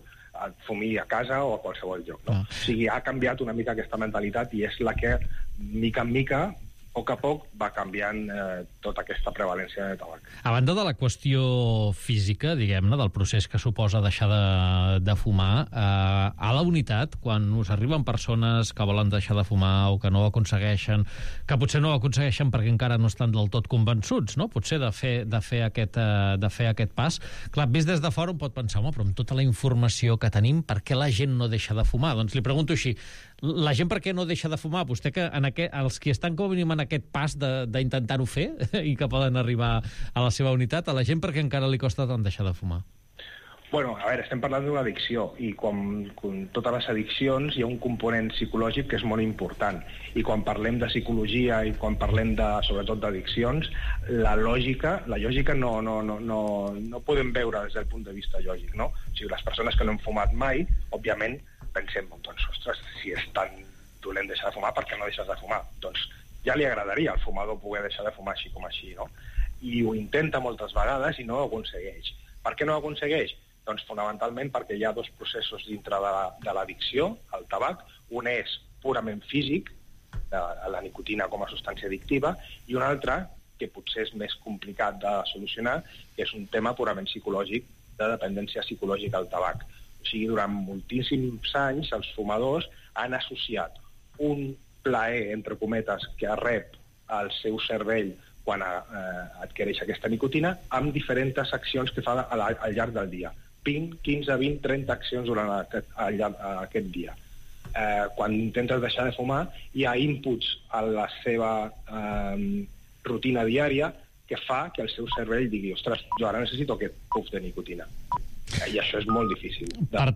fumi a casa o a qualsevol lloc, no? Ah. O sigui, ha canviat una mica aquesta mentalitat i és la que, mica en mica, a poc a poc, va canviant eh, tota aquesta prevalència de tabac. A banda de la qüestió física, diguem-ne, del procés que suposa deixar de, de fumar, eh, a la unitat, quan us arriben persones que volen deixar de fumar o que no ho aconsegueixen, que potser no ho aconsegueixen perquè encara no estan del tot convençuts, no? Potser de fer, de fer, aquest, eh, de fer aquest pas. Clar, vist des de fora un pot pensar, home, però amb tota la informació que tenim, per què la gent no deixa de fumar? Doncs li pregunto així, la gent per què no deixa de fumar? Vostè que en aquest, els qui estan com a mínim en aquest pas d'intentar-ho fer i que poden arribar a la seva unitat, a la gent perquè encara li costa tant deixar de fumar? Bueno, a veure, estem parlant d'una addicció i com, com totes les addiccions hi ha un component psicològic que és molt important, i quan parlem de psicologia i quan parlem de, sobretot d'addiccions, la lògica, la lògica no, no, no, no, no podem veure des del punt de vista lògic, no? O sigui, les persones que no han fumat mai, òbviament pensem, doncs, ostres, si és tan dolent deixar de fumar, per què no deixes de fumar? Doncs ja li agradaria al fumador poder deixar de fumar així com així, no? I ho intenta moltes vegades i no ho aconsegueix. Per què no ho aconsegueix? Doncs fonamentalment perquè hi ha dos processos dintre de, la, de l'addicció al tabac. Un és purament físic, de la nicotina com a substància addictiva, i un altre, que potser és més complicat de solucionar, que és un tema purament psicològic, de dependència psicològica al tabac. O sigui, durant moltíssims anys els fumadors han associat un plaer, entre cometes, que rep el seu cervell quan eh, adquireix aquesta nicotina, amb diferents accions que fa al, al llarg del dia. vint, quinze, vint, trenta accions durant aquest, al llarg d'aquest dia. Eh, quan intentes deixar de fumar, hi ha inputs a la seva eh, rutina diària que fa que el seu cervell digui, ostres, jo ara necessito aquest puff de nicotina. I això és molt difícil. Per